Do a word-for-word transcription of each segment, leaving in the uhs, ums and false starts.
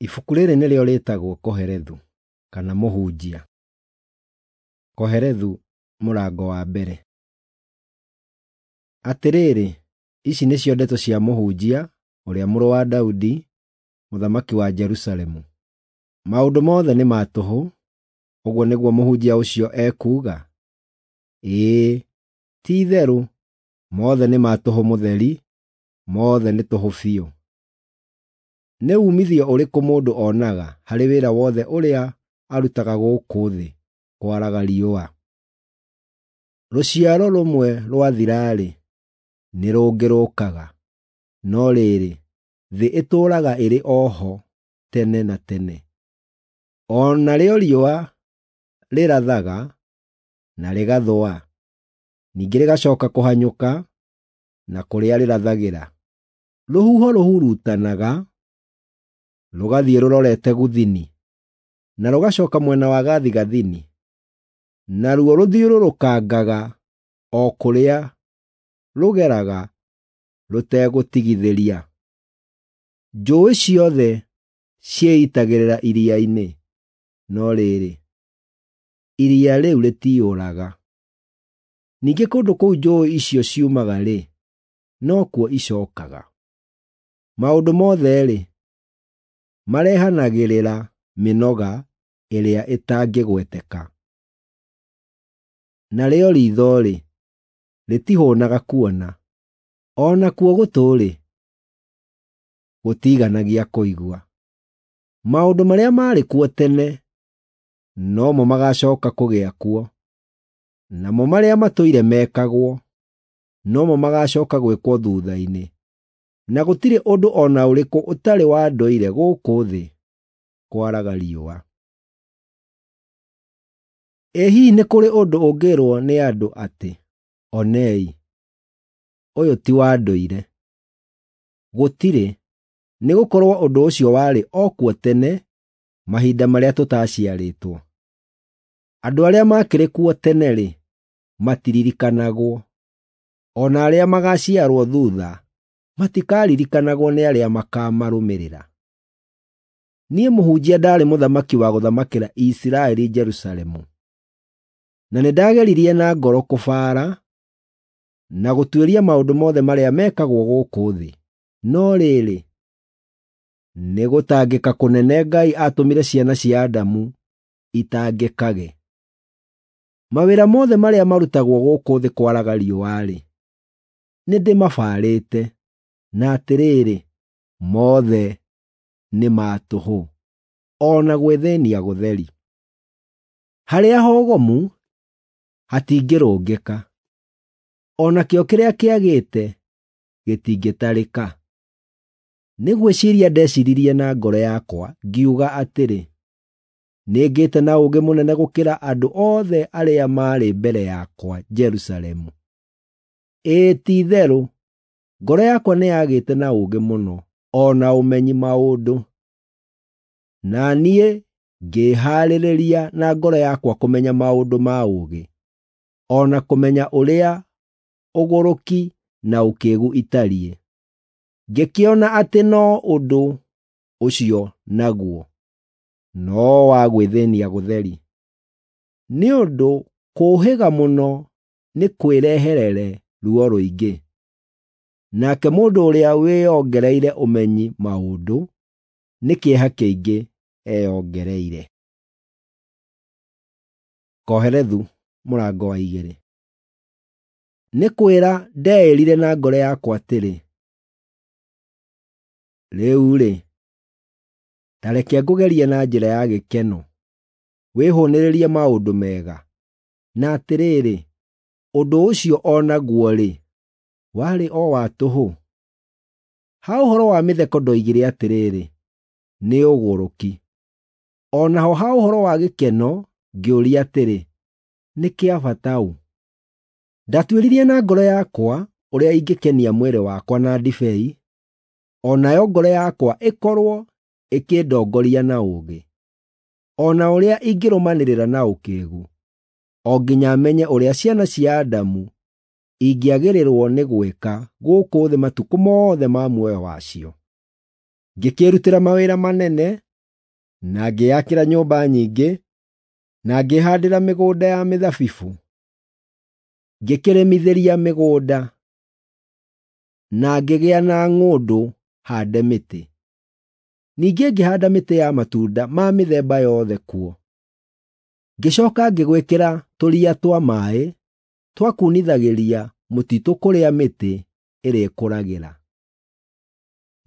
Ibuku rĩrĩ nĩrĩo rĩĩtagwo Kohelethu, kana Mũhunjia. Kohelethu mũrango wa mbere. Atĩrĩrĩ, ici nĩcio ndeto cia Mũhunjia, ũrĩa mũrũ wa Daudi, mũthamaki wa Jerusalemu. Maũndũ mothe nĩ ma tũhũ, ũguo nĩguo mũhunjia ũcio ekuuga? Ĩĩ, ti-itherũ, mothe nĩ ma tũhũ mũtheri, mothe nĩ tũhũ biũ. Nĩ uumithio ũrĩkũ mũndũ onaga harĩ wĩra wothe ũrĩa arutaga gũkũ thĩ kwaraga riũa? Rũciaro rũmwe rwathira-rĩ, nĩ rũngĩ rũũkaga, no rĩrĩ, thĩ ĩtũũraga ĩrĩ o ho tene na tene. O narĩo riũa rĩrathaga na rĩgathũa, ningĩ rĩgacooka kũhanyũka na kũrĩa rĩrathagĩra. Rũhuho rũhurutanaga rũgathiĩ rũrorete gũthini, na rũgacooka mwena wa gathigathini, naruo rũthiũrũrũkangaga o kũrĩa rũgeraga rũtegũtigithĩria. Njũũĩ ciothe ciĩitagĩrĩra iria-inĩ, no rĩrĩ, iria rĩu rĩtiyũraga. Ningĩ kũndũ kũu njũũĩ icio ciumaga-rĩ, nokuo icookaga. Maũndũ mothe-rĩ, marehanagĩrĩra mĩnoga ĩrĩa ĩtangĩgweteka. Narĩo riitho-rĩ, rĩtihũũnaga kuona, o nakuo gũtũ-rĩ, gũtiiganagia kũigua. Maũndũ marĩa maarĩ kuo tene no mo magaacooka kũgĩa kuo, namo marĩa matũire mekagwo no mo magaacooka gwĩkwo thuutha-inĩ, na gũtirĩ ũndũ o na ũrĩkũ ũtarĩ wa ndũire gũkũ thĩ kwaraga riũa. Ĩ hihi nĩ kũrĩ ũndũ ũngĩĩrwo nĩ andũ atĩ, “Onei, ũyũ ti wa ndũire”? Gũtirĩ, nĩgũkorwo ũndũ ũcio warĩ o kuo tene mahinda marĩa tũtaaciarĩtwo. Andũ arĩa maakĩrĩ kuo tene-rĩ, matiririkanagwo, o na arĩa magaaciarwo thuutha matikaririkanagwo nĩ arĩa makaamarũmĩrĩra. Niĩ Mũhunjia ndaarĩ mũthamaki wa gũthamakĩra Isiraeli Jerusalemu, na nĩndageririe na ngoro kũbaara na gũtuĩria maũndũ mothe marĩa mekagwo gũkũ thĩ. No rĩrĩ, nĩ gũtangĩka kũnene Ngai aatũmire ciana cia Adamu itangĩkage. Mawĩra mothe marĩa marutagwo gũkũ thĩ kwaraga riũa-rĩ, nĩndĩmabaarĩte, na atĩrĩrĩ, mothe nĩ ma tũhũ, o na gwĩthĩĩnia gũtheri. Harĩa hogomu hatingĩrũngĩka, o nakĩo kĩrĩa kĩagĩte gĩtingĩtarĩka. Nĩ gwĩciiria ndeciiririe na ngoro yakwa, ngiuga atĩrĩ, “Nĩngĩte na ũũgĩ mũnene gũkĩra andũ othe arĩa maarĩ mbere yakwa Jerusalemu.” Ĩĩ, ti-itherũ, ngoro yakwa nĩyagĩte na ũũgĩ mũno, o na ũmenyi maũndũ. Na niĩ ngĩĩhaarĩria na ngoro yakwa kũmenya maũndũ ma ũũgĩ, o na kũmenya ũrĩa ũgũrũki na ũkĩĩgu itariĩ. Ngĩkĩona atĩ no ũndũ ũcio naguo no wa gwĩthĩĩnia gũtheri, nĩ ũndũ kũũhĩga mũno nĩ kwĩreherere ruo rũingĩ. Nake mũndũ ũrĩa wĩongereire ũmenyi maũndũ nĩ kĩeha kĩingĩ eyongereire. Kohelethu mũrango wa igĩrĩ. Nĩ kwĩra ndeĩrire na ngoro yakwa atĩrĩ, “Rĩu-rĩ, ta reke ngũgerie na njĩra ya gĩkeno, wĩhũũnĩrĩrie maũndũ mega.” Na atĩrĩrĩ, ũndũ ũcio o naguo-rĩ, warĩ o wa tũhũ. Ha ũhoro wa mĩtheko ndoigire atĩrĩrĩ, “Nĩ ũgũrũki.” O naho ha ũhoro wa gĩkeno ngĩũria atĩrĩ, “Nĩ kĩa bata ũ?” Ndatuĩririe na ngoro yakwa ũrĩa ingĩkenia mwĩrĩ wakwa na ndibei, o nayo ngoro yakwa ĩkorwo ĩkĩndongoria na ũũgĩ, o na ũrĩa ingĩrũmanĩrĩra na ũkĩĩgu, o nginya menye ũrĩa ciana cia Adamu ingĩagĩrĩrwo nĩ gwĩka gũkũ thĩ matukũ mothe ma muoyo wacio. Ngĩkĩĩrutĩra mawĩra manene na ngĩĩakĩra nyũmba nyingĩ, na ngĩĩhaandĩra mĩgũnda ya mĩthabibũ. Ngĩkĩrĩmithĩria mĩgũnda, na ngĩgĩa na ng'ũndũ haande mĩtĩ. Ningĩ ngĩhaanda mĩtĩ ya matunda ma mĩthemba yothe kuo. Ngĩcooka ngĩgwĩkĩra tũria twa maaĩ twa kuunithagĩria mũtitũ kũrĩa mĩtĩ ĩrĩkũragĩra.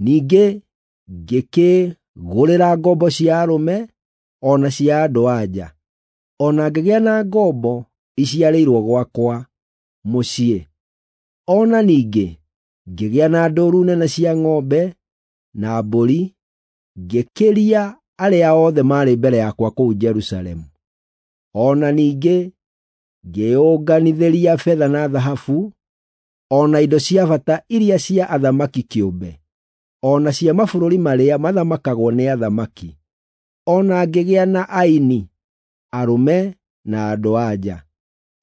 Ningĩ ngĩkĩĩgũrĩra ngombo cia arũme o na cia andũ-a-nja, o na ngĩgĩa na ngombo iciarĩirwo gwakwa mũciĩ. O na ningĩ ngĩgĩa na ndũũru nene cia ng'ombe na mbũri, ngĩkĩria arĩa othe maarĩ mbere yakwa kũu Jerusalemu. O na ningĩ ngĩĩyũnganithĩria betha na thahabu, o na indo cia bata iria cia athamaki kĩũmbe, o na cia mabũrũri marĩa mathamakagwo nĩ athamaki. O na ngĩgĩa na aini, arũme na andũ-a-nja,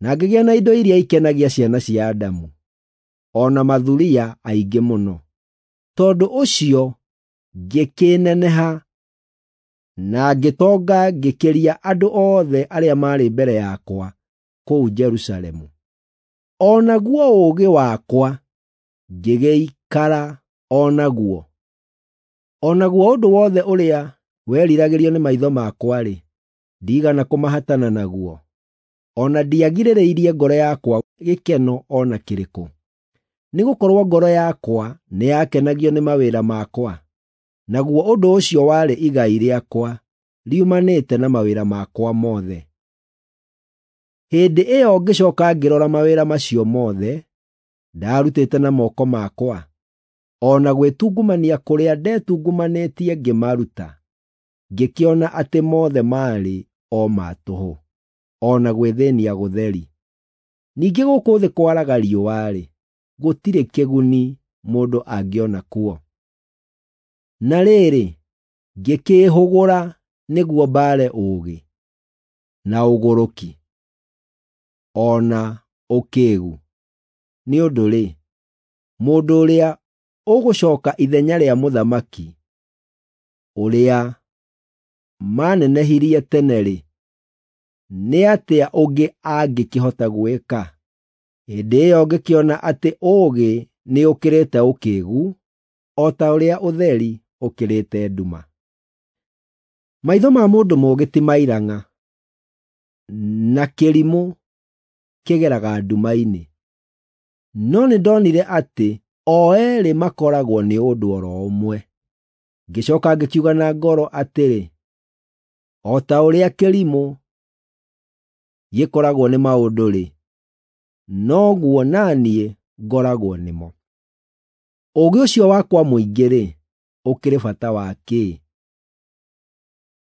na ngĩgĩa na indo iria ikenagia ciana cia Adamu, o na mathuriya aingĩ mũno. Tondũ ũcio ngĩkĩneneha na ngĩtonga ngĩkĩria andũ othe arĩa maarĩ mbere yakwa kũu Jerusalemu. O naguo ũũgĩ wakwa ngĩgĩikara o naguo. O naguo ũndũ wothe ũrĩa weriragĩrio nĩ maitho makwa-rĩ, ndiigana kũmahatana naguo, o na ndiagirĩrĩirie ngoro yakwa gĩkeno o na kĩrĩkũ. Nĩgũkorwo ngoro yakwa nĩyakenagio nĩ mawĩra makwa, naguo ũndũ ũcio warĩ igai rĩakwa riumanĩte na mawĩra makwa mothe. Hĩndĩ ĩyo ngĩcooka ngĩrora mawĩra macio mothe ndaarutĩte na moko makwa, o na gwĩtungumania kũrĩa ndetungumanĩtie ngĩmaruta, ngĩkĩona atĩ mothe maarĩ o ma tũhũ, o na gwĩthĩĩnia gũtheri. Ningĩ gũkũ thĩ kwaraga riũa-rĩ, gũtirĩ kĩguni mũndũ angĩona kuo. Na rĩrĩ, ngĩkĩĩhũgũra nĩguo mbaare ũũgĩ, na ũgũrũki, o na ũkĩĩgu. Nĩ ũndũ-rĩ, mũndũ ũrĩa ũgũcooka ithenya rĩa mũthamaki ũrĩa maanenehirie tene-rĩ, nĩ atĩa ũngĩ angĩkĩhota gwĩka? Hĩndĩ ĩyo ngĩkĩona atĩ ũũgĩ nĩũkĩrĩte ũkĩĩgu, o ta ũrĩa ũtheri ũkĩrĩte nduma. Maitho ma mũndũ mũũgĩ ti mairang'a, na kĩrimũ kĩgeraga nduma-inĩ. No nĩndonire atĩ o eerĩ makoragwo nĩ ũndũ o ro ũmwe. Ngĩcooka ngĩkiuga na ngoro atĩrĩ, o ta ũrĩa kĩrimũ gĩkoragwo nĩ maũndũ-rĩ, noguo na niĩ ngoragwo nĩmo. Ũũgĩ ũcio wakwa mũingĩ-rĩ, ũkĩrĩ bata wa kĩ?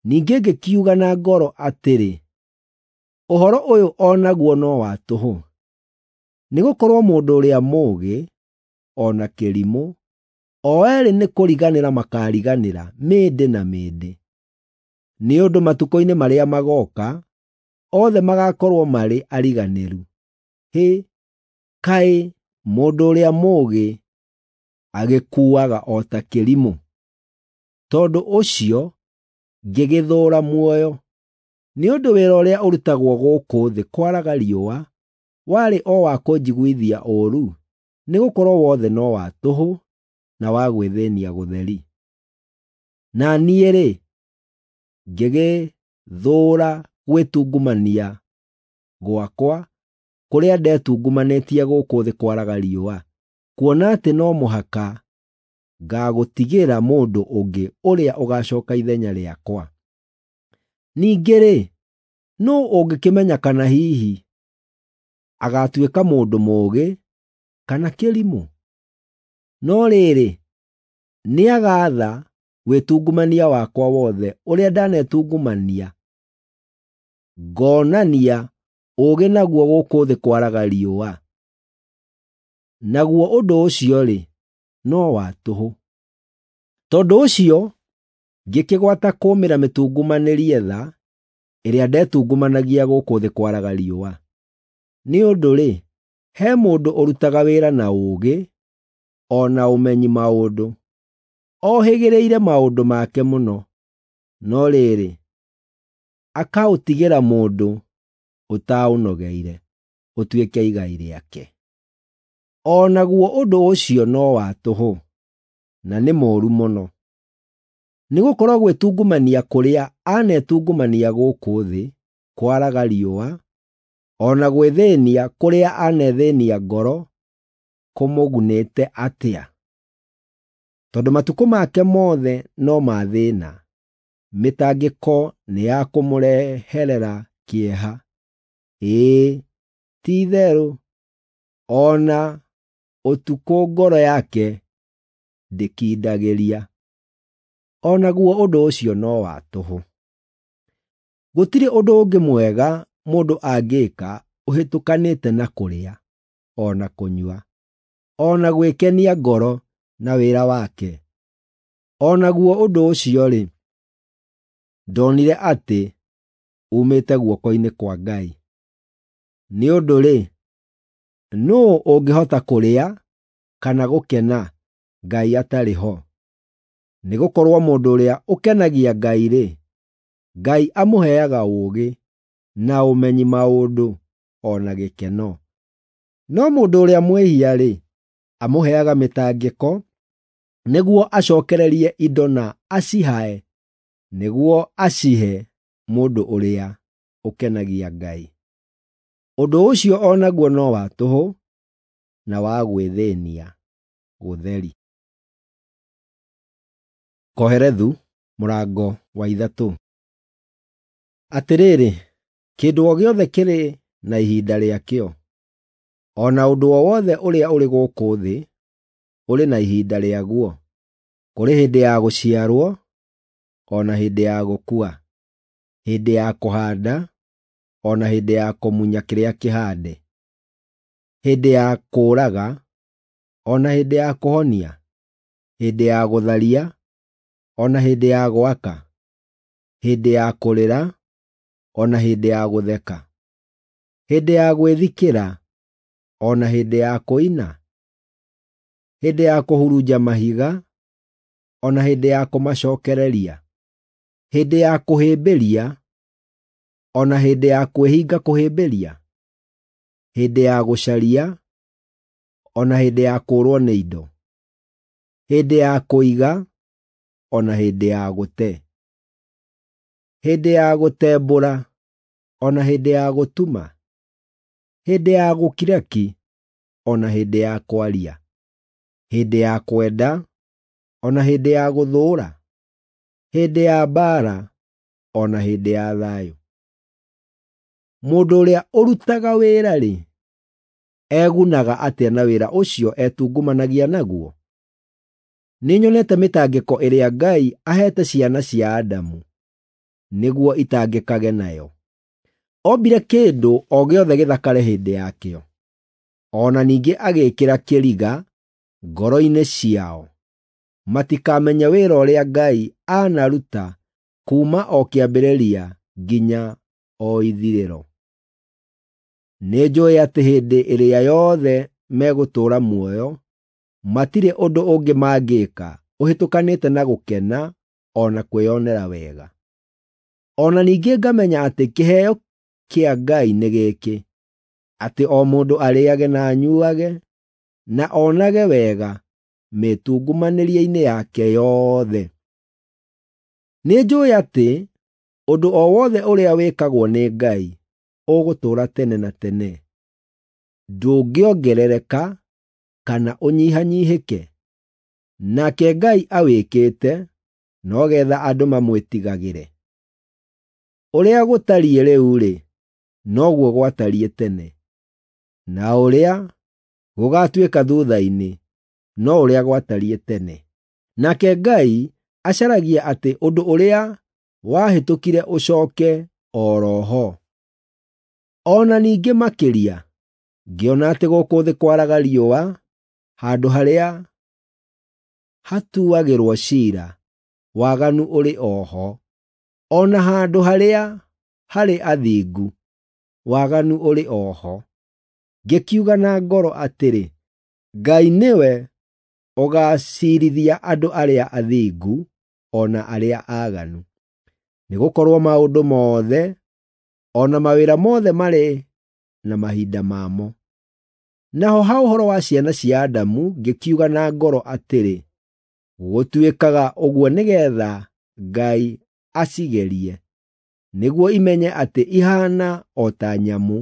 Ningĩ ngĩkiuga na ngoro atĩrĩ, ũhoro ũyũ o naguo no wa tũhũ. Nĩgũkorwo mũndũ ũrĩa mũũgĩ o na kĩrimũ, o eerĩ nĩ kũriganĩra makaariganĩra mĩndĩ na mĩndĩ. Nĩ ũndũ matukũ-inĩ marĩa magooka, othe magaakorwo marĩ ariganĩru. Hĩ, kaĩ mũndũ ũrĩa mũũgĩ agĩkuaga o ta kĩrimũ! Tondũ ũcio ngĩgĩthũũra muoyo, nĩ ũndũ wĩra ũrĩa ũrutagwo gũkũ thĩ kwaraga riũa warĩ o wa kũnjiguithia ũũru, nĩgũkorwo wothe no wa tũhũ na wa gwĩthĩĩnia gũtheri. Na niĩ-rĩ, ngĩgĩthũũra gwĩtungumania gwakwa kũrĩa ndetungumanĩtie gũkũ thĩ kwaraga riũa, kuona atĩ no mũhaka ngaagũtigĩra mũndũ ũngĩ ũrĩa ũgaacooka ithenya rĩakwa. Ningĩ-rĩ, nũũ ũngĩkĩmenya kana hihi agaatuĩka mũndũ mũũgĩ kana kĩrimũ? No rĩrĩ, nĩagaatha wĩtungumania wakwa wothe ũrĩa ndanetungumania ngonania ũũgĩ naguo gũkũ thĩ kwaraga riũa. Naguo ũndũ ũcio-rĩ, no wa tũhũ. Tondũ ũcio ngĩkĩgwata kũũmĩra mĩtungumanĩrie tha ĩrĩa ndetungumanagia gũkũ thĩ kwaraga riũa. Nĩ ũndũ-rĩ, he mũndũ ũrutaga wĩra na ũũgĩ o na ũmenyi maũndũ, ohĩgĩrĩire maũndũ make mũno. no rĩrĩ, akaũtigĩra mũndũ ũtaũnogeire ũtuĩke igai rĩake. O naguo ũndũ ũcio no wa tũhũ, na nĩ mũũru mũno. Nĩgũkorwo gwĩtungumania kũrĩa anetungumania gũkũ thĩ kwaraga riũa, o na gwĩthĩĩnia kũrĩa anethĩĩnia ngoro kũmũgunĩte atĩa? Tondũ matukũ make mothe no ma thĩĩna, mĩtangĩko nĩ ya kũmũreherera kĩeha. Ĩĩ, ti-itherũ, o na ũtukũ ngoro yake ndĩkindagĩria. O naguo ũndũ ũcio no wa tũhũ. Gũtirĩ ũndũ ũngĩ mwega mũndũ angĩĩka ũhĩtũkanĩte na kũrĩa, o na kũnyua, o na gwĩkenia ngoro na wĩra wake. O naguo ũndũ ũcio-rĩ, ndonire atĩ uumĩte guoko-inĩ kwa Ngai. Nĩ ũndũ-rĩ, nũũ ũngĩhota kũrĩa kana gũkena Ngai atarĩ ho? Nĩgũkorwo mũndũ ũrĩa ũkenagia Ngai-rĩ, Ngai amũheaga ũũgĩ na ũmenyi maũndũ o na gĩkeno. No mũndũ ũrĩa mwĩhia-rĩ, amũheaga mĩtangĩko nĩguo acookererie indo na acihae nĩguo acihe mũndũ ũrĩa ũkenagia Ngai. Ũndũ ũcio o naguo no wa tũhũ na wa gwĩthĩĩnia gũtheri. Kohelethu mũrango wa ithatũ. Atĩrĩrĩ, kĩndũ o gĩothe kĩrĩ na ihinda rĩakĩo, o na ũndũ o wothe ũrĩa ũrĩ gũkũ thĩ ũrĩ na ihinda rĩaguo. Kũrĩ hĩndĩ ya gũciarwo, o na hĩndĩ ya gũkua, hĩndĩ ya kũhaanda, o na hĩndĩ ya kũmunya kĩrĩa kĩhaande, hĩndĩ ya kũũraga, o na hĩndĩ ya kũhonia, hĩndĩ ya gũtharia, o na hĩndĩ ya gwaka, hĩndĩ ya kũrĩra, o na hĩndĩ ya gũtheka, hĩndĩ ya gwĩthikĩra, o na hĩndĩ ya kũina, hĩndĩ ya kũhurunja mahiga, o na hĩndĩ ya kũmacookereria, hĩndĩ ya kũhĩmbĩria, o na hĩndĩ ya kwĩhinga kũhĩmbĩria, hĩndĩ ya gũcaria, o na hĩndĩ ya kũũrwo nĩ indo, hĩndĩ ya kũiga, o na hĩndĩ ya gũte, hĩndĩ ya gũtembũra, o na hĩndĩ ya gũtuma, hĩndĩ ya gũkira ki, o na hĩndĩ ya kwaria, hĩndĩ ya kwenda, o na hĩndĩ ya gũthũũra, hĩndĩ ya mbaara, o na hĩndĩ ya thayũ. Mũndũ ũrĩa ũrutaga wĩra-rĩ, egunaga atĩa na wĩra ũcio etungumanagia naguo? Nĩnyonete mĩtangĩko ĩrĩa Ngai aheete ciana cia Adamu nĩguo itangĩkage nayo. Ombire kĩndũ o gĩothe gĩthakare hĩndĩ yakĩo, o na ningĩ agĩĩkĩra kĩriga ngoro-inĩ ciao matikamenye wĩra ũrĩa Ngai aanaruta kuuma o kĩambĩrĩria nginya o ithirĩro. Nĩnjũũĩ atĩ hĩndĩ ĩrĩa yothe megũtũũra muoyo, matirĩ ũndũ ũngĩ mangĩĩka ũhĩtũkanĩte na gũkena o na kwĩonera wega. O na ningĩ ngamenya atĩ kĩheo kĩa Ngai nĩ gĩkĩ, atĩ o mũndũ arĩĩage na anyuuage, na onage wega mĩĩtungumanĩrie-inĩ yake yothe. Nĩnjũũĩ atĩ ũndũ o wothe ũrĩa wĩkagwo nĩ Ngai ũgũtũũra tene na tene, ndũngĩongerereka kana ũnyihanyiihĩke. Nake Ngai awĩkĩte no geetha andũ mamwĩtigagĩre. Ũrĩa gũtariĩ rĩu-rĩ, noguo gwatariĩ tene, na ũrĩa gũgaatuĩka thuutha-inĩ no ũrĩa gwatariĩ tene. Nake Ngai acaragia atĩ ũndũ ũrĩa wahĩtũkire ũcooke o ro ho. O na ningĩ makĩria, ngĩona atĩ gũkũ thĩ kwaraga riũa handũ harĩa hatuagĩrwo ciira, waganu ũrĩ o ho, o na handũ harĩa harĩ athingu, waganu ũrĩ o ho. Ngĩkiuga na ngoro atĩrĩ, Ngai nĩwe ũgaaciirithia andũ arĩa athingu o na arĩa aaganu. Nĩgũkorwo maũndũ mothe o na mawĩra mothe marĩ na mahinda mamo. Naho ha ũhoro wa ciana cia Adamu ngĩkiuga na ngoro atĩrĩ, gũtuĩkaga ũguo nĩgeetha Ngai acigerie, nĩguo imenye atĩ ihaana o ta nyamũ.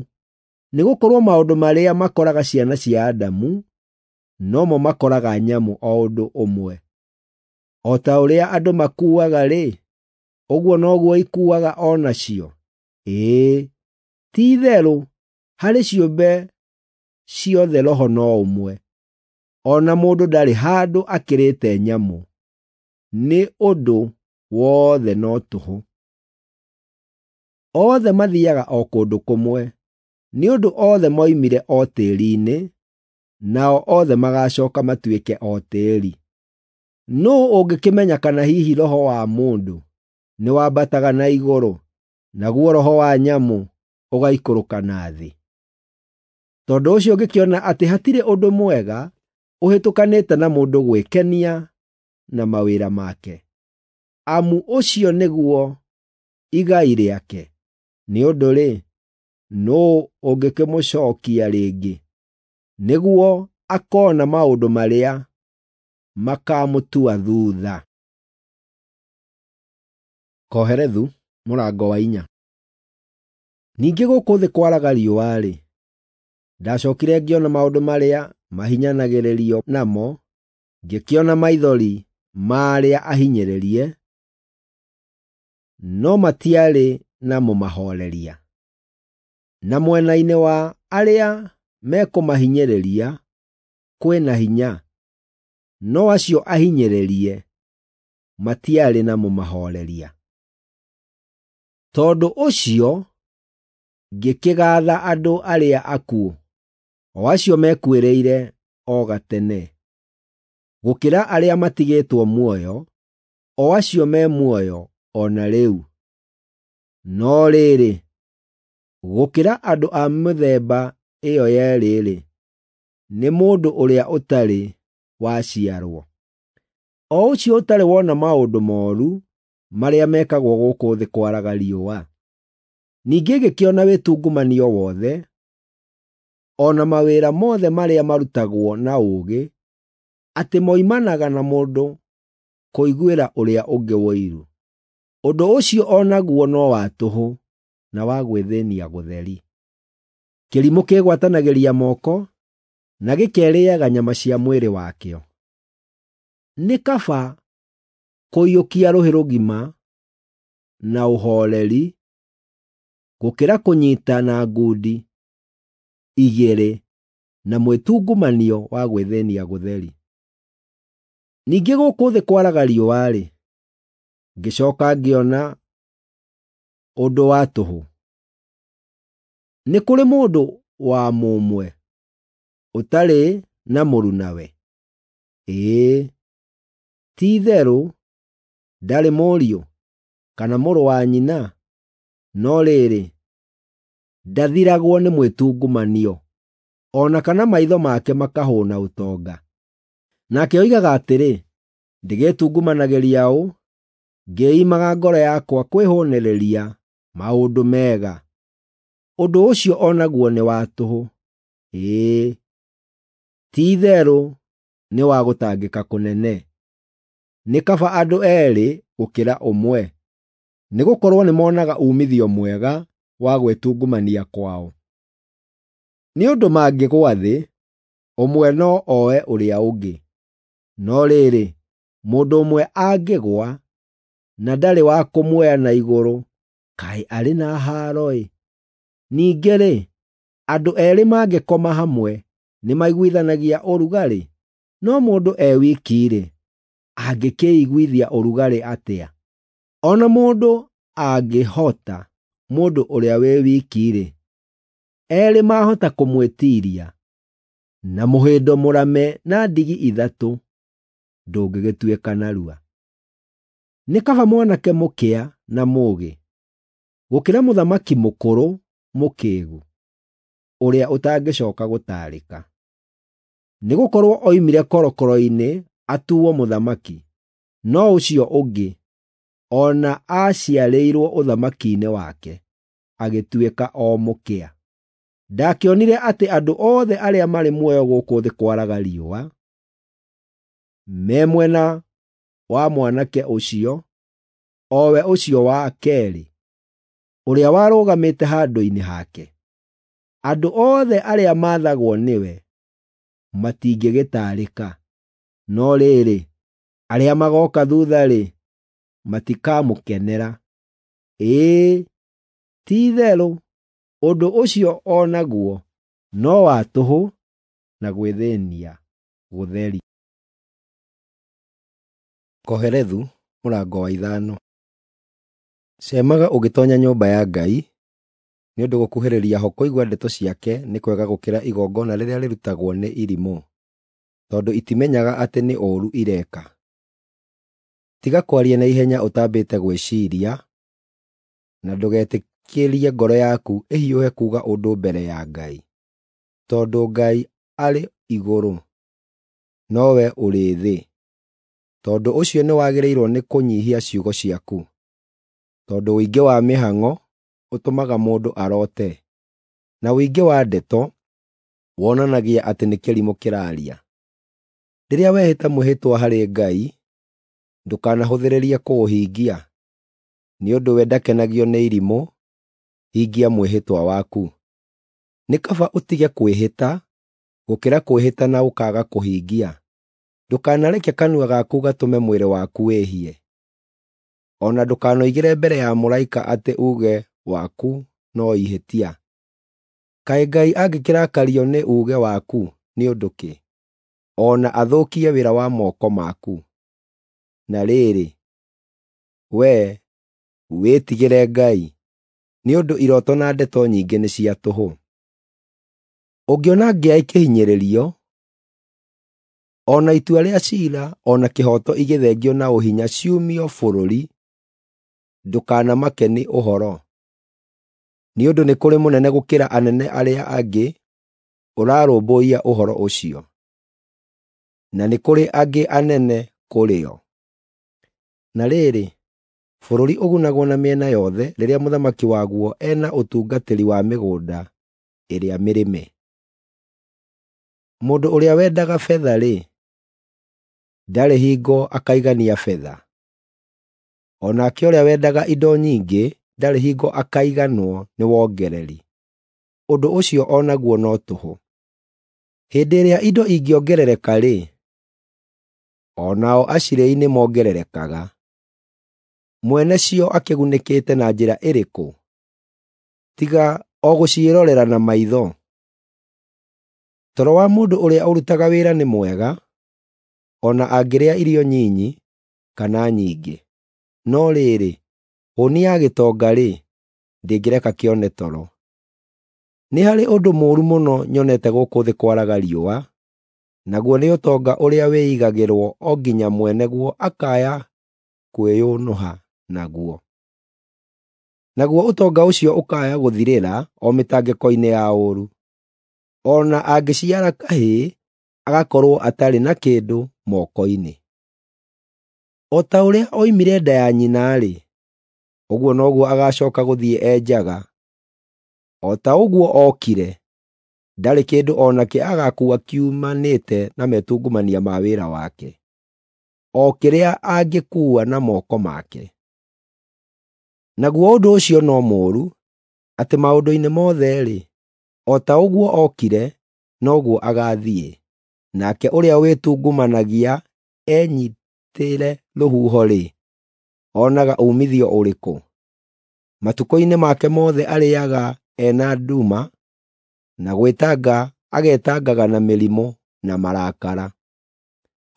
Nĩgũkorwo maũndũ marĩa makoraga ciana cia Adamu nomo makoraga nyamũ o ũndũ ũmwe. O ta ũrĩa andũ makuaga-rĩ, ũguo noguo ikuaga o nacio. Ĩĩ, ti-itherũ harĩ ciũmbe ciothe roho no ũmwe. O na mũndũ ndarĩ handũ akĩrĩte nyamũ, nĩ ũndũ wothe no tũhũ. Othe mathiiaga o kũndũ kũmwe, nĩ ũndũ othe moimire o tĩĩri-inĩ, nao othe magaacooka matuĩke o tĩĩri. Nũũ ũngĩkĩmenya kana hihi roho wa mũndũ nĩwambataga na igũrũ, naguo roho wa nyamũ ũgaikũrũka na thĩ? Tondũ ũcio ngĩkĩona atĩ hatirĩ ũndũ mwega ũhĩtũkanĩte na mũndũ gwĩkenia na mawĩra make, amu ũcio nĩguo igai rĩake. Nĩ ũndũ-rĩ, nũũ ũngĩkĩmũcookia rĩngĩ, nĩguo akoona maũndũ marĩa makaamũtua thuutha? Kohelethu mũrango wa inya. Ningĩ gũkũ thĩ kwaraga riũa-rĩ, ndacookire ngĩona maũndũ marĩa mahinyanagĩrĩrio namo, ngĩkĩona maithori ma arĩa ahinyĩrĩrie, no matiarĩ na mũmahooreria. Na mwena-inĩ wa arĩa mekũmahinyĩrĩria kwĩ na hinya, no acio ahinyĩrĩrie matiarĩ na mũmahooreria. Tondũ ũcio ngĩkĩgaatha andũ arĩa akuũ, o acio mekuĩrĩire o gatene, gũkĩra arĩa matigĩtwo muoyo, o acio me muoyo o na rĩu. No rĩrĩ, gũkĩra andũ a mĩthemba ĩyo yeerĩ-rĩ, nĩ mũndũ ũrĩa ũtarĩ waciarwo, o ũcio ũtarĩ wona maũndũ mooru marĩa mekagwo gũkũ thĩ kwaraga riũa. Ningĩ ngĩkĩona wĩtungumanio wothe, o na mawĩra mothe marĩa marutagwo na ũũgĩ, atĩ moimanaga na mũndũ kũiguĩra ũrĩa ũngĩ ũiru. Ũndũ ũcio o naguo no wa tũhũ na wa gwĩthĩnia gũtheri. Kĩrimũ kĩgwatanagĩria moko na gĩkerĩĩaga nyama cia mwĩrĩ wakĩo. Nĩ kaba kũiyũkia rũhĩ rũgima na ũhooreri gũkĩra kũnyiita na ngundi igĩrĩ na mwĩtungumanio wa gwĩthĩnia gũtheri. Ningĩ gũkũ thĩ kwaraga riũa-rĩ, ngĩcooka ngĩona ũndũ wa tũhũ. Nĩ kũrĩ mũndũ wa mũmwe ũtarĩ na mũrunawe? Ĩĩ, ti-itherũ ndarĩ mũriũ kana mũrũ wa nyina, no rĩrĩ, ndathiragwo nĩ mwĩtungumanio, o na kana maitho make makahũũna ũtonga. Nake oigaga atĩrĩ, ndĩgĩtungumanagĩria ũ, ngĩĩimaga ngoro yakwa kwĩhũũnĩrĩria maũndũ mega. Ũndũ ũcio o naguo nĩ wa tũhũ. Ĩĩ, ti-itherũ nĩ wa gũtangĩka kũnene. Nĩ kaba andũ eerĩ gũkĩra ũmwe, nĩgũkorwo nĩmonaga uumithio mwega wa gwĩtungumania kwao. Nĩ ũndũ mangĩgũa thĩ, ũmwe no oe ũrĩa ũngĩ. No rĩrĩ, mũndũ ũmwe angĩgũa na ndarĩ wa kũmuoya na igũrũ, kaĩ arĩ na haaro-ĩ! Ningĩ-rĩ, andũ eerĩ mangĩkoma hamwe nĩmaiguithanagia ũrugarĩ, no mũndũ e wiki-rĩ, angĩkĩĩiguithia ũrugarĩ atĩa? O na mũndũ angĩhota mũndũ ũrĩa wĩ wiki-rĩ, eerĩ maahota kũmwĩtiiria, na mũhĩndo mũrame na ndigi ithatũ ndũngĩgĩtuĩka narua. Nĩ kaba mwanake mũkĩa na mũũgĩ gũkĩra mũthamaki mũkũrũ mũkĩĩgu, ũrĩa ũtangĩcooka gũtaarĩka. Nĩgũkorwo oimire korokoro-inĩ atuuo mũthamaki, no ũcio ũngĩ o na aaciarĩirwo ũthamaki-inĩ wake, agĩtuĩka o mũkĩa. Ndakĩonire atĩ andũ othe arĩa marĩ muoyo gũkũ thĩ kwaraga riũa, me mwena wa mwanake ũcio, o we ũcio wa keerĩ, ũrĩa warũgamĩte handũ-inĩ hake. Andũ othe arĩa maathagwo nĩwe matingĩgĩtaarĩka, no rĩrĩ, arĩa magooka thuutha-rĩ, matikamũkenera. Ĩĩ, ti-itherũ ũndũ ũcio o naguo no wa tũhũ na gwĩthĩĩnia gũtheri. Kohelethu mũrango wa ithano. Ceemaga ũgĩtoonya nyũmba ya Ngai, nĩ ũndũ gũkuhĩrĩria ho kũigua ndeto ciake nĩ kwega gũkĩra igongona rĩrĩa rĩrutagwo nĩ irimũ, tondũ itimenyaga atĩ nĩ ũũru ireka. Tiga kwaria na ihenya ũtambĩte gwĩciiria, na ndũgetĩkĩrie ngoro yaku ĩhiũhe kuuga ũndũ mbere ya Ngai, tondũ Ngai arĩ igũrũ, nowe ũrĩ thĩ. Tondũ ũcio nĩwagĩrĩirwo nĩ kũnyiihia ciugo ciaku, tondũ ũingĩ wa mĩhang'o ũtũmaga mũndũ aroote, na ũingĩ wa ndeto wonanagia atĩ nĩ kĩrimũ kĩraaria. Rĩrĩa wehĩta mwĩhĩtwa harĩ Ngai, ndũkanahũthĩrĩrie kũũhingia, nĩ ũndũ we ndakenagio nĩ irimũ, hingia mwĩhĩtwa waku. Nĩ kaba ũtige kwĩhĩta gũkĩra kwĩhĩta na ũkaaga kũhingia. Ndũkanareke kanua gaku gatũme mwĩrĩ waku wĩhie, o na ndũkanoigĩre mbere ya mũraika atĩ uuge waku no ihĩtia. Kaĩ Ngai angĩkĩrakario nĩ uuge waku nĩ ũndũ kĩ, o na athũkie wĩra wa moko maku? Na rĩrĩ, wee wĩtigĩre Ngai, nĩ ũndũ irooto na ndeto nyingĩ nĩ cia tũhũ. Ũngĩona ngĩa ĩkĩhinyĩrĩrio, o na itua rĩa ciira o na kĩhooto igĩthengio na ũhinya ciumio bũrũri, ndũkanamake nĩ ũhoro, nĩ ũndũ nĩ kũrĩ mũnene gũkĩra anene arĩa angĩ ũrarũmbũiya ũhoro ũcio, na nĩ kũrĩ angĩ anene kũrĩ o. Na rĩrĩ, bũrũri ũgunagwo na mĩena yothe rĩrĩa mũthamaki waguo ena ũtungatĩri wa mĩgũnda ĩrĩa mĩrĩme. Mũndũ ũrĩa wendaga betha-rĩ, ndarĩ hingo akaigania betha, o nake ũrĩa wendaga indo nyingĩ ndarĩ hingo akaiganwo nĩ wongereri. Ũndũ ũcio o naguo no tũhũ. Hĩndĩ ĩrĩa indo ingĩongerereka-rĩ, o nao acirĩi nĩmongererekaga. Mwene cio akĩgunĩkĩte na njĩra ĩrĩkũ, tiga o gũciĩrorera na maitho? Toro wa mũndũ ũrĩa ũrutaga wĩra nĩ mwega, o na angĩrĩa irio nyinyi kana nyingĩ. No rĩrĩ, hũũni ya gĩtonga-rĩ, ndĩngĩreka kĩone toro. Nĩ harĩ ũndũ mũũru mũno nyonete gũkũ thĩ kwaraga riũa, naguo nĩ ũtonga ũrĩa wĩigagĩrwo o nginya mwene guo akaya kwĩyũnũha naguo. Naguo ũtonga ũcio ũkaya gũthirĩra o mĩtangĩko-inĩ ya ũũru. O na angĩciara kahĩĩ, agakorwo atarĩ na kĩndũ moko-inĩ. O ta ũrĩa oimire nda ya nyina-rĩ, ũguo noguo agaacooka gũthiĩ e njaga. O ta ũguo ookire, ndarĩ kĩndũ o nakĩ agaakuua kiumanĩte na metungumania ma wĩra wake, o kĩrĩa angĩkuua na moko make. Naguo ũndũ ũcio no mũũru, atĩ maũndũ-inĩ mothe-rĩ, o ta ũguo ookire, noguo agaathiĩ. Nake ũrĩa wĩtungumanagia enyiitĩre rũhuho-rĩ, onaga uumithio ũrĩkũ? Matukũ-inĩ make mothe arĩĩaga ena nduma, na gwĩtanga agetangaga na mĩrimũ na marakara.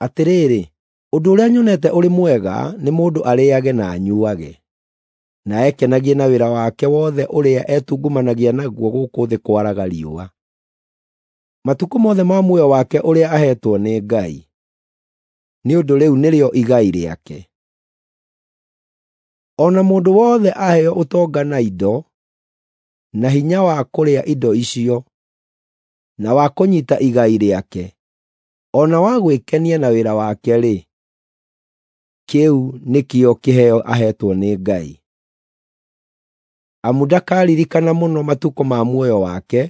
Atĩrĩrĩ, ũndũ ũrĩa nyonete ũrĩ mwega nĩ mũndũ arĩĩage na anyuuage, na ekenagie na wĩra wake wothe ũrĩa etungumanagia naguo gũkũ thĩ kwaraga riũa, matukũ mothe ma muoyo wake ũrĩa aheetwo nĩ Ngai, nĩ ũndũ rĩu nĩrĩo igai rĩake. O na mũndũ wothe aheo ũtonga na indo, na hinya wa kũrĩa indo icio, na wa kũnyiita igai rĩake, o na wa gwĩkenia na wĩra wake-rĩ, Kĩu nĩkĩo kĩheo aheetwo nĩ Ngai. Amu ndakaririkana mũno matukũ ma muoyo wake,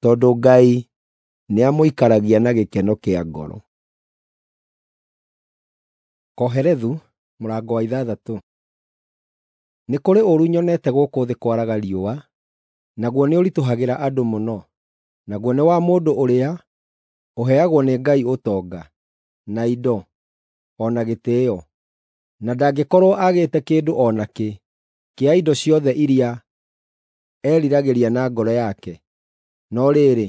tondũ Ngai nĩamũikaragia na gĩkeno kĩa ngoro. Kohelethu mũrango wa ithathatũ. Nĩ kũrĩ ũũru nyonete gũkũ thĩ kwaraga riũa, naguo nĩũritũhagĩra andũ mũno, naguo nĩ wa mũndũ ũrĩa ũheagwo nĩ Ngai ũtonga, na indo, o na gĩtĩĩo, na ndangĩkorwo aagĩte kĩndũ o nakĩ kĩa indo ciothe iria eriragĩria na ngoro yake. No rĩrĩ,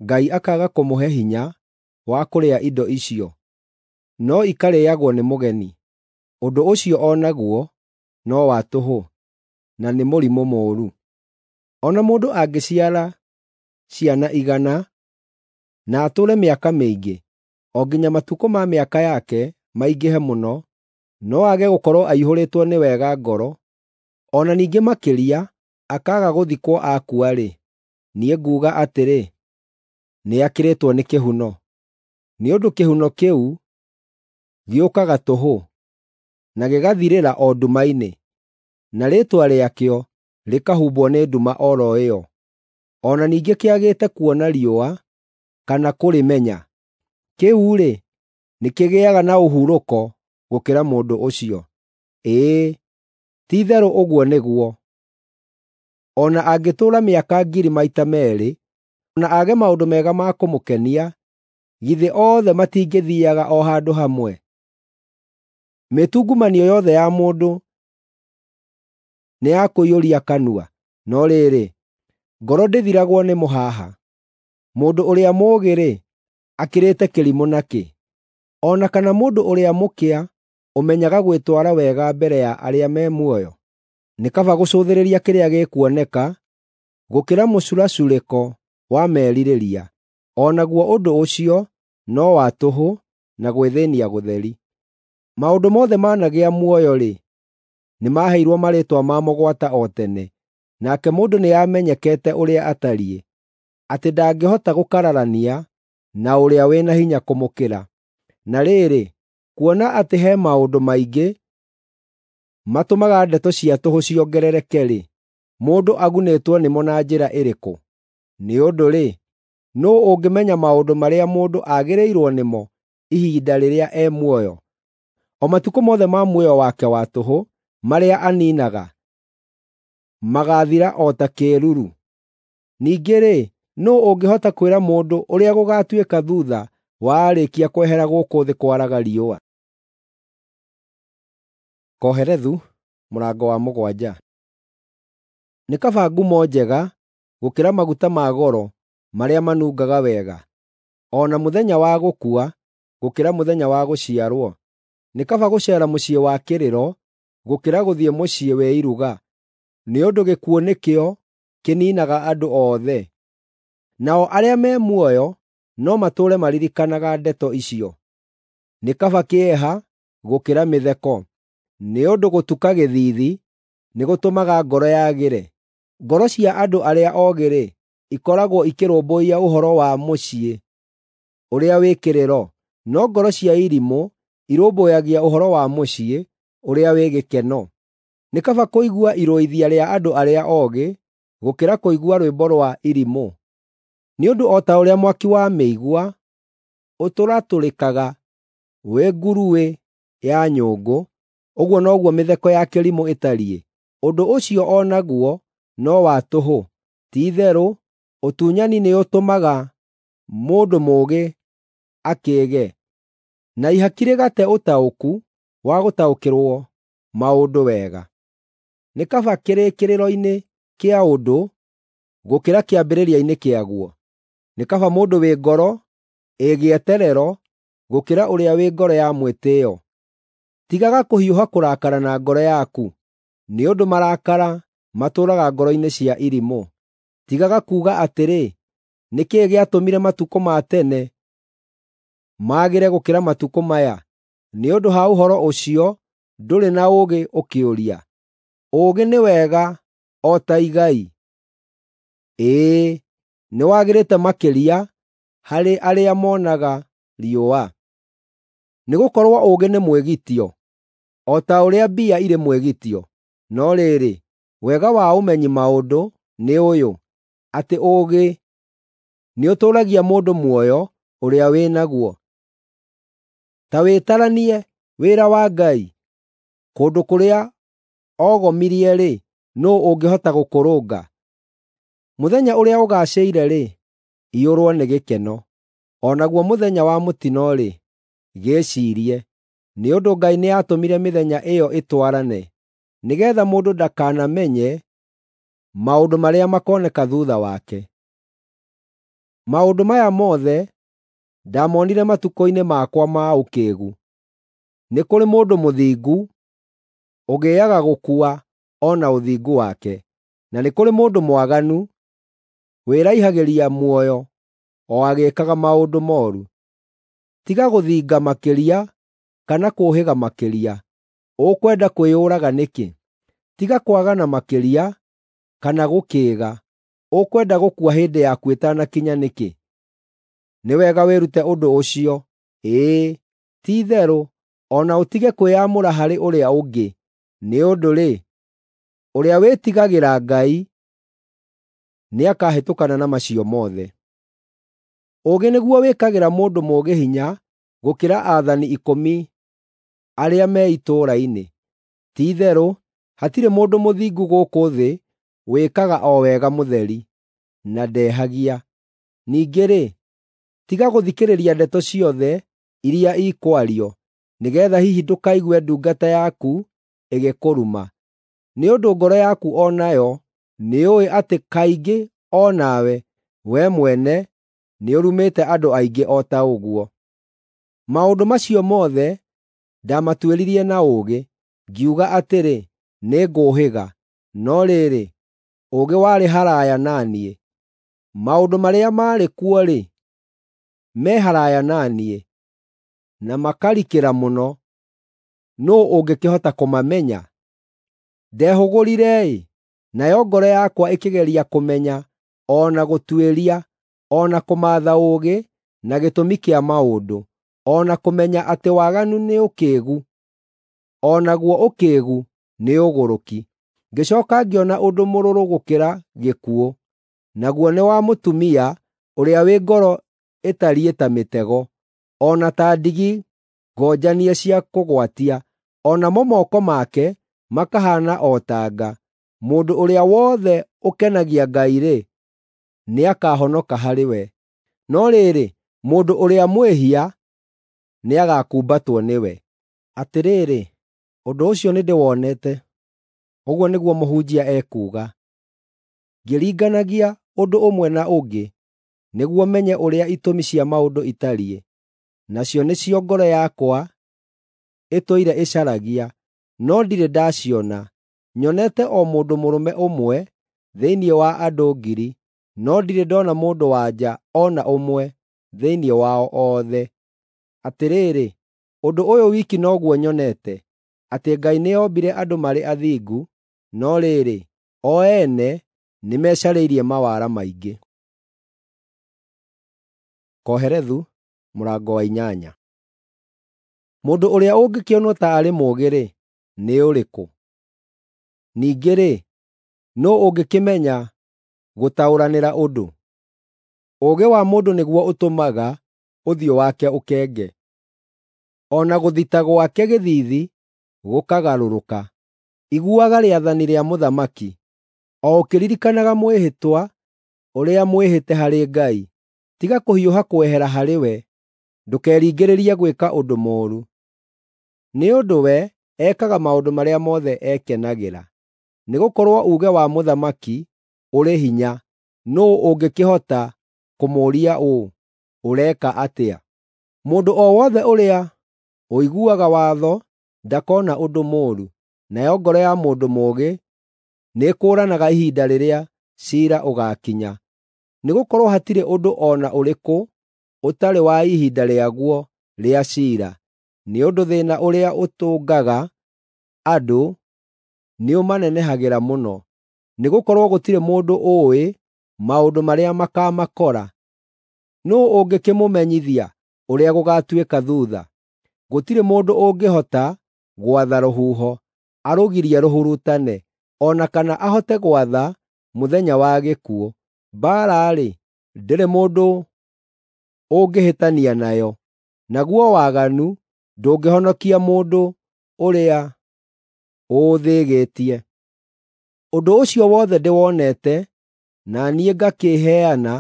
Ngai akaaga kũmũhe hinya wa kũrĩa indo icio, no ikarĩĩagwo nĩ mũgeni. Ũndũ ũcio o naguo no wa tũhũ, na nĩ mũrimũ mũũru. O na mũndũ angĩciara ciana igana na atũũre mĩaka mĩingĩ, o nginya matukũ ma mĩaka yake maingĩhe mũno, no aage gũkorwo aihũrĩtwo nĩ wega ngoro, o na ningĩ makĩria akaaga gũthikwo akua-rĩ, niĩ nguuga atĩrĩ, nĩakĩrĩtwo nĩ kĩhuno. Nĩ ũndũ kĩhuno kĩu gĩũkaga tũhũ, na gĩgathirĩra o nduma-inĩ, na rĩĩtwa rĩakĩo rĩkahumbwo nĩ nduma o ro ĩyo. O na ningĩ kĩagĩte kuona riũa kana kũrĩmenya. Kĩu-rĩ, nĩkĩgĩaga na ũhurũko gũkĩra mũndũ ũcio. Ĩĩ, ti-itherũ ũguo nĩguo. O na angĩtũũra mĩaka ngiri maita meerĩ, na aage maũndũ mega ma kũmũkenia, githĩ othe matingĩthiiaga o handũ hamwe? Mĩtungumanio yothe ya mũndũ nĩ ya kũiyũria kanua, no rĩrĩ, ngoro ndĩthiragwo nĩ mũhaha. Mũndũ ũrĩa mũũgĩ-rĩ, akĩrĩte kĩrimũ nakĩ? O na kana mũndũ ũrĩa mũkĩa ũmenyaga gwĩtwara wega mbere ya arĩa me muoyo? Nĩ kaba gũcũthĩrĩria kĩrĩa gĩkuoneka gũkĩra mũcuracurĩko wa merirĩria. O naguo ũndũ ũcio no wa tũhũ na gwĩthĩĩnia gũtheri. Maũndũ mothe managĩa muoyo-rĩ, nĩmaheirwo marĩĩtwa mamo gwata o tene, nake mũndũ nĩamenyekete ũrĩa atariĩ, atĩ ndangĩhota gũkararania na ũrĩa wĩ na hinya kũmũkĩra. Na rĩrĩ, kuona atĩ he maũndũ maingĩ matũmaga ndeto cia tũhũ ciongerereke-rĩ, mũndũ agunĩtwo nĩmo na njĩra ĩrĩkũ? Nĩ ũndũ-rĩ, nũũ ũngĩmenya maũndũ marĩa mũndũ agĩrĩirwo nĩmo ihinda rĩrĩa e muoyo? O matukũ mothe ma muoyo wake wa tũhũ marĩa aniinaga magaathira o ta kĩĩruru. Ningĩ-rĩ, nũũ ũngĩhota kwĩra mũndũ ũrĩa gũgaatuĩka thuutha wa aarĩkia kwehera gũkũ thĩ kwaraga riũa? Kohelethu mũrango wa mũgwanja. Nĩ kaba ngumo njega gũkĩra maguta ma goro marĩa manungaga wega, o na mũthenya wa gũkua gũkĩra mũthenya wa gũciarwo. Nĩ kaba gũceera mũciĩ wa kĩrĩro gũkĩra gũthiĩ mũciĩ wĩ iruga, nĩ ũndũ gĩkuũ nĩkĩo kĩniinaga andũ othe, nao arĩa me muoyo no matũũre maririkanaga ndeto icio. Nĩ kaba kĩeha gũkĩra mĩtheko, nĩ ũndũ gũtuka gĩthiithi nĩgũtũmaga ngoro yagĩre. Ngoro cia andũ arĩa oogĩ-rĩ, ikoragwo ikĩrũmbũiya ũhoro wa mũciĩ ũrĩa wĩ kĩrĩro, no ngoro cia irimũ irũmbũyagia ũhoro wa mũciĩ ũrĩa wĩ gĩkeno. Nĩ kaba kũigua irũithia rĩa andũ arĩa oogĩ gũkĩra kũigua rwĩmbo rwa irimũ. Nĩ ũndũ o ta ũrĩa mwaki wa mĩigua ũtũratũrĩkaga wĩ nguruĩ ya nyũngũ, ũguo noguo mĩtheko ya kĩrimũ ĩtariĩ. Ũndũ ũcio o naguo no wa tũhũ. Ti-itherũ, ũtunyani nĩũtũmaga mũndũ mũũgĩ akĩĩge, na ihaki rĩgate ũtaũku wa gũtaũkĩrwo maũndũ wega. Nĩ kaba kĩrĩkĩrĩro-inĩ kĩa ũndũ gũkĩra kĩambĩrĩria-inĩ kĩaguo. Nĩ kaba mũndũ wĩ ngoro ĩ gĩeterero gũkĩra ũrĩa wĩ ngoro ya mwĩtĩĩo. Tigaga kũhiũha kũrakara na ngoro yaku, nĩ ũndũ marakara matũũraga ngoro-inĩ cia irimũ. Tigaga kuuga atĩrĩ, “Nĩ kĩĩ gĩatũmire matukũ ma tene magĩre gũkĩra matukũ maya?” Nĩ ũndũ ha ũhoro ũcio ndũrĩ na ũũgĩ ũkĩũria. Ũũgĩ nĩ wega o ta igai, ĩĩ, nĩwagĩrĩte makĩria harĩ arĩa moonaga riũa. Nĩgũkorwo ũũgĩ nĩ mwĩgitio, o ta ũrĩa mbia irĩ mwĩgitio. No rĩrĩ, wega wa ũmenyi maũndũ nĩ ũyũ, atĩ ũũgĩ nĩũtũũragia mũndũ muoyo ũrĩa wĩ naguo. Ta wĩtaranie wĩra wa Ngai, kũndũ kũrĩa ogomirie-rĩ, nũũ ũngĩhota gũkũrũnga? Mũthenya ũrĩa ũgaacĩire-rĩ, iyũrwo nĩ gĩkeno, o naguo mũthenya wa mũtino-rĩ, gĩĩciirie, nĩ ũndũ Ngai nĩatũmire mĩthenya ĩyo ĩtwarane, nĩgeetha mũndũ ndakanamenye maũndũ marĩa makoneka thuutha wake. Maũndũ maya mothe ndaamonire matukũ-inĩ makwa ma ũkĩĩgu. Nĩ kũrĩ mũndũ mũthingu ũgĩĩaga gũkua o na ũthingu wake, na nĩ kũrĩ mũndũ mwaganu wĩraihagĩria muoyo o agĩĩkaga maũndũ mooru. Tiga gũthinga makĩria kana kũũhĩga makĩria, ũkwenda kwĩyũraga nĩkĩ? Tiga kwagana makĩria kana gũkĩĩga, ũkwenda gũkua hĩndĩ yaku ĩtanakinya nĩkĩ? Nĩ wega wĩrute ũndũ ũcio, ĩĩ, ti-itherũ, o na ũtige kwĩyamũra harĩ ũrĩa ũngĩ, nĩ ũndũ-rĩ, ũrĩa wĩtigagĩra Ngai nĩakahĩtũkana na macio mothe. Ũũgĩ nĩguo wĩkagĩra mũndũ mũũgĩ hinya gũkĩra aathani ikũmi arĩa me itũũra-inĩ. Ti-itherũ, hatirĩ mũndũ mũthingu gũkũ thĩ wĩkaga o wega mũtheri, na ndehagia. Ningĩ-rĩ, tiga gũthikĩrĩria ndeto ciothe iria ikwario, nĩgeetha hihi ndũkaigue ndungata yaku ĩgĩkũruma. Nĩ ũndũ ngoro yaku o nayo nĩyũĩ atĩ kaingĩ o nawe, wee mwene nĩũrumĩte andũ aingĩ o ta ũguo. Maũndũ macio mothe ndaamatuĩririe na ũũgĩ, ngiuga atĩrĩ, “Nĩngũũhĩga.” No rĩrĩ, ũũgĩ warĩ haraaya na niĩ. Maũndũ marĩa maarĩ kuo-rĩ, me haraaya na niĩ, na makarikĩra mũno. Nũũ ũngĩkĩhota kũmamenya? Ndehũgũrire-ĩ, nayo ngoro yakwa ĩkĩgeria kũmenya, o na gũtuĩria, o na kũmaatha ũũgĩ na gĩtũmi kĩa maũndũ, o na kũmenya atĩ waganu nĩ ũkĩĩgu, o naguo ũkĩĩgu nĩ ũgũrũki. Ngĩcooka ngĩona ũndũ mũrũrũ gũkĩra gĩkuũ, naguo nĩ wa mũtumia ũrĩa wĩ ngoro ĩtariĩ ta mĩtego, o na ta ndigi ngonjanie cia kũgwatia, o namo moko make makahaana o ta nga. Mũndũ ũrĩa wothe ũkenagia Ngai-rĩ, nĩakahonoka harĩ we, no rĩrĩ, mũndũ ũrĩa mwĩhia nĩagakumbatwo nĩwe. Atĩrĩrĩ, ũndũ ũcio nĩndĩwonete, ũguo nĩguo mũhunjia ekuuga, ngĩringanagia ũndũ ũmwe na ũngĩ nĩguo menye ũrĩa itũmi cia maũndũ itariĩ, nacio nĩcio ngoro yakwa ĩtũire ĩcaragia, no ndirĩ ndaciona. Nyonete o mũndũ mũrũme ũmwe thĩinĩ wa andũ ngiri, no ndirĩ ndoona mũndũ-wa-nja o na ũmwe thĩinĩ wao othe. Atĩrĩrĩ, ũndũ ũyũ wiki noguo nyonete, atĩ Ngai nĩombire andũ marĩ athingu, no rĩrĩ, o ene nĩmecarĩirie mawara maingĩ. Kohelethu mũrango wa inyanya. Mũndũ ũrĩa ũngĩkĩonwo ta arĩ mũũgĩ-rĩ, nĩ ũrĩkũ? Ningĩ-rĩ, nũũ ũngĩkĩmenya gũtaũranĩra ũndũ? Ũũgĩ wa mũndũ nĩguo ũtũmaga ũthiũ wake ũkenge, o na gũthita gwake gĩthiithi gũkagarũrũka. Iguaga rĩathani rĩa mũthamaki, o ũkĩririkanaga mwĩhĩtwa ũrĩa mwĩhĩte harĩ Ngai. Tiga kũhiũha kwehera harĩ we, ndũkeringĩrĩrie gwĩka ũndũ mũũru, nĩ ũndũ we ekaga maũndũ marĩa mothe ekenagĩra. Nĩgũkorwo uuge wa mũthamaki ũrĩ hinya, nũũ ũngĩkĩhota kũmũũria ũũ, “Ũreka atĩa?” Mũndũ o wothe ũrĩa ũiguaga watho ndakona ũndũ mũũru, nayo ngoro ya mũndũ mũũgĩ nĩĩkũũranaga ihinda rĩrĩa ciira ũgaakinya. Nĩgũkorwo hatirĩ ũndũ o na ũrĩkũ ũtarĩ wa ihinda rĩaguo rĩa ciira, nĩ ũndũ thĩĩna ũrĩa ũtũngaga andũ nĩũmanenehagĩra mũno. Nĩgũkorwo gũtirĩ mũndũ ũũĩ maũndũ marĩa makaamakora. Nũũ ũngĩkĩmũmenyithia ũrĩa gũgaatuĩka thuutha? Gũtirĩ mũndũ ũngĩhota gwatha rũhuho, arũgirie rũhurutane, o na kana ahote gwatha mũthenya wa gĩkuũ. Mbaara-rĩ, ndĩrĩ mũndũ ũngĩhĩtania nayo, naguo waganu ndũngĩhonokia mũndũ ũrĩa ũũthĩgĩtie. Ũndũ ũcio wothe ndĩwonete, na niĩ ngakĩĩheana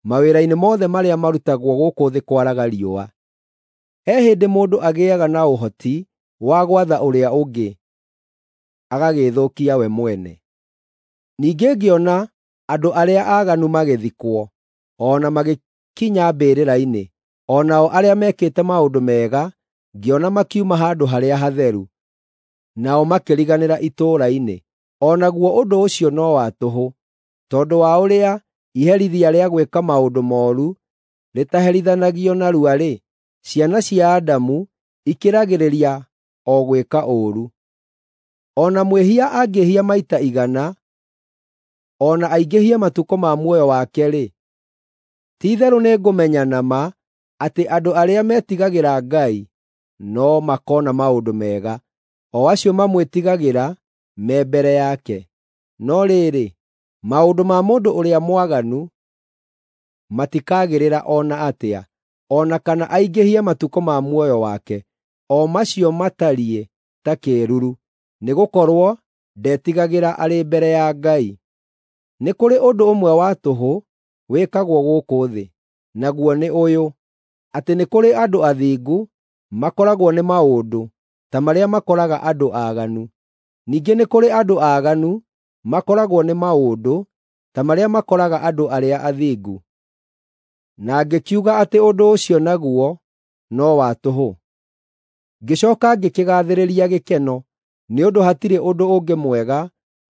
mawĩra-inĩ mothe marĩa marutagwo gũkũ thĩ kwaraga riũa. He hĩndĩ mũndũ agĩaga na ũhoti wa gwatha ũrĩa ũngĩ, agagĩĩthũkia we mwene. Ningĩ ngĩona andũ arĩa aaganu magĩthikwo, o na magĩkinya mbĩrĩra-inĩ, o nao arĩa mekĩte maũndũ mega ngĩona makiuma handũ harĩa hatheru, nao makĩriganĩra itũũra-inĩ. O naguo ũndũ ũcio no wa tũhũ, tondũ wa ũrĩa iherithia rĩa gwĩka maũndũ mooru rĩtaherithanagio narua-rĩ, ciana cia Adamu ikĩragĩrĩria o gwĩka ũũru. O na mwĩhia angĩĩhia maita igana, o na aingĩhie matukũ ma muoyo wake-rĩ, ti-itherũ nĩngũmenya na ma atĩ andũ arĩa metigagĩra Ngai no makoona maũndũ mega, o acio mamwĩtigagĩra me mbere yake. No rĩrĩ, maũndũ ma mũndũ ũrĩa mwaganu matikagĩrĩra o na atĩa, o na kana aingĩhie matukũ ma muoyo wake, o macio matariĩ ta kĩĩruru, nĩgũkorwo ndetigagĩra arĩ mbere ya Ngai. Nĩ kũrĩ ũndũ ũmwe wa tũhũ wĩkagwo gũkũ thĩ, naguo nĩ ũyũ: atĩ nĩ kũrĩ andũ athingu makoragwo nĩ maũndũ ta marĩa makoraga andũ aaganu. Ningĩ nĩ kũrĩ andũ aaganu makoragwo nĩ maũndũ ta marĩa makoraga andũ arĩa athingu. Na ngĩkiuga atĩ ũndũ ũcio naguo no wa tũhũ. Ngĩcooka ngĩkĩgaathĩrĩria gĩkeno, nĩ ũndũ hatirĩ ũndũ ũngĩ mwega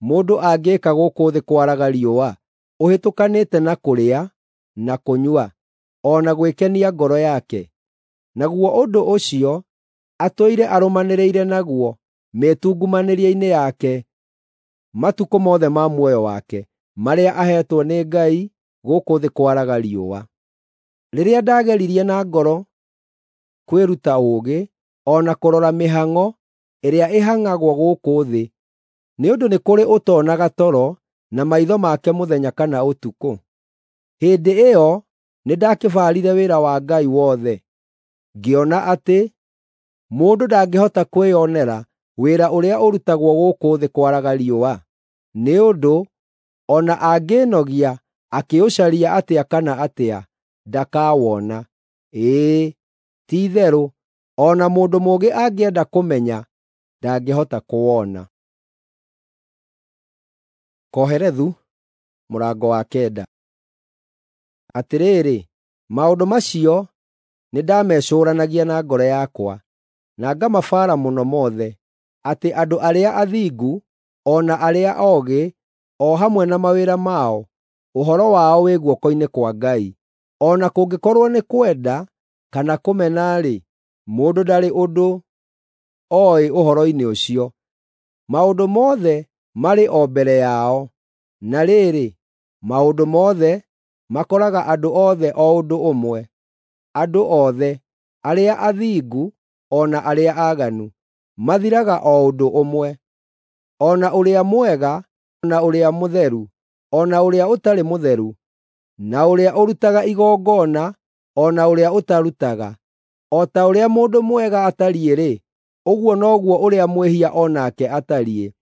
mũndũ angĩĩka gũkũ thĩ kwaraga riũa, ũhĩtũkanĩte na kũrĩa na kũnyua, o na gwĩkenia ngoro yake. Naguo ũndũ ũcio atũire arũmanĩrĩire naguo mĩĩtungumanĩrie-inĩ yake matukũ mothe ma muoyo wake, marĩa aheetwo nĩ Ngai gũkũ thĩ kwaraga riũa. Rĩrĩa ndageririe na ngoro kwĩruta ũũgĩ, o na kũrora mĩhang'o ĩrĩa ĩhang'agwo gũkũ thĩ, nĩ ũndũ nĩ kũrĩ ũtoonaga toro na maitho make mũthenya kana ũtukũ. Hĩndĩ ĩyo nĩndakĩbaarire wĩra wa Ngai wothe, ngĩona atĩ mũndũ ndangĩhota kwĩonera wĩra ũrĩa ũrutagwo gũkũ thĩ kwaraga riũa, nĩ ũndũ o na angĩĩnogia akĩũcaria atĩa kana atĩa, ndakawona. Ĩĩ, ti-itherũ, o na mũndũ mũũgĩ angĩenda kũmenya, ndangĩhota kũwona. Kohelethu mũrango wa kenda. Atĩrĩrĩ, maũndũ macio nĩndamecũũranagia na ngoro yakwa, na ngamabaara mũno mothe, atĩ andũ arĩa athingu o na arĩa oogĩ, o hamwe na mawĩra mao, ũhoro wao wĩ guoko-inĩ kwa Ngai. O na kũngĩkorwo nĩ kwenda kana kũmena-rĩ, mũndũ ndarĩ ũndũ oĩ ũhoro-inĩ ũcio. Maũndũ mothe marĩ o mbere yao, na rĩrĩ, maũndũ mothe makoraga andũ othe o ũndũ ũmwe, andũ othe, arĩa athingu o na arĩa aaganu, mathiraga o ũndũ ũmwe. O na ũrĩa mwega na ũrĩa mũtheru, o na ũrĩa ũtarĩ mũtheru, na ũrĩa ũrutaga igongona o na ũrĩa ũtarutaga. O ta ũrĩa mũndũ mwega atariĩ-rĩ, ũguo noguo ũrĩa mwĩhia o nake atariĩ.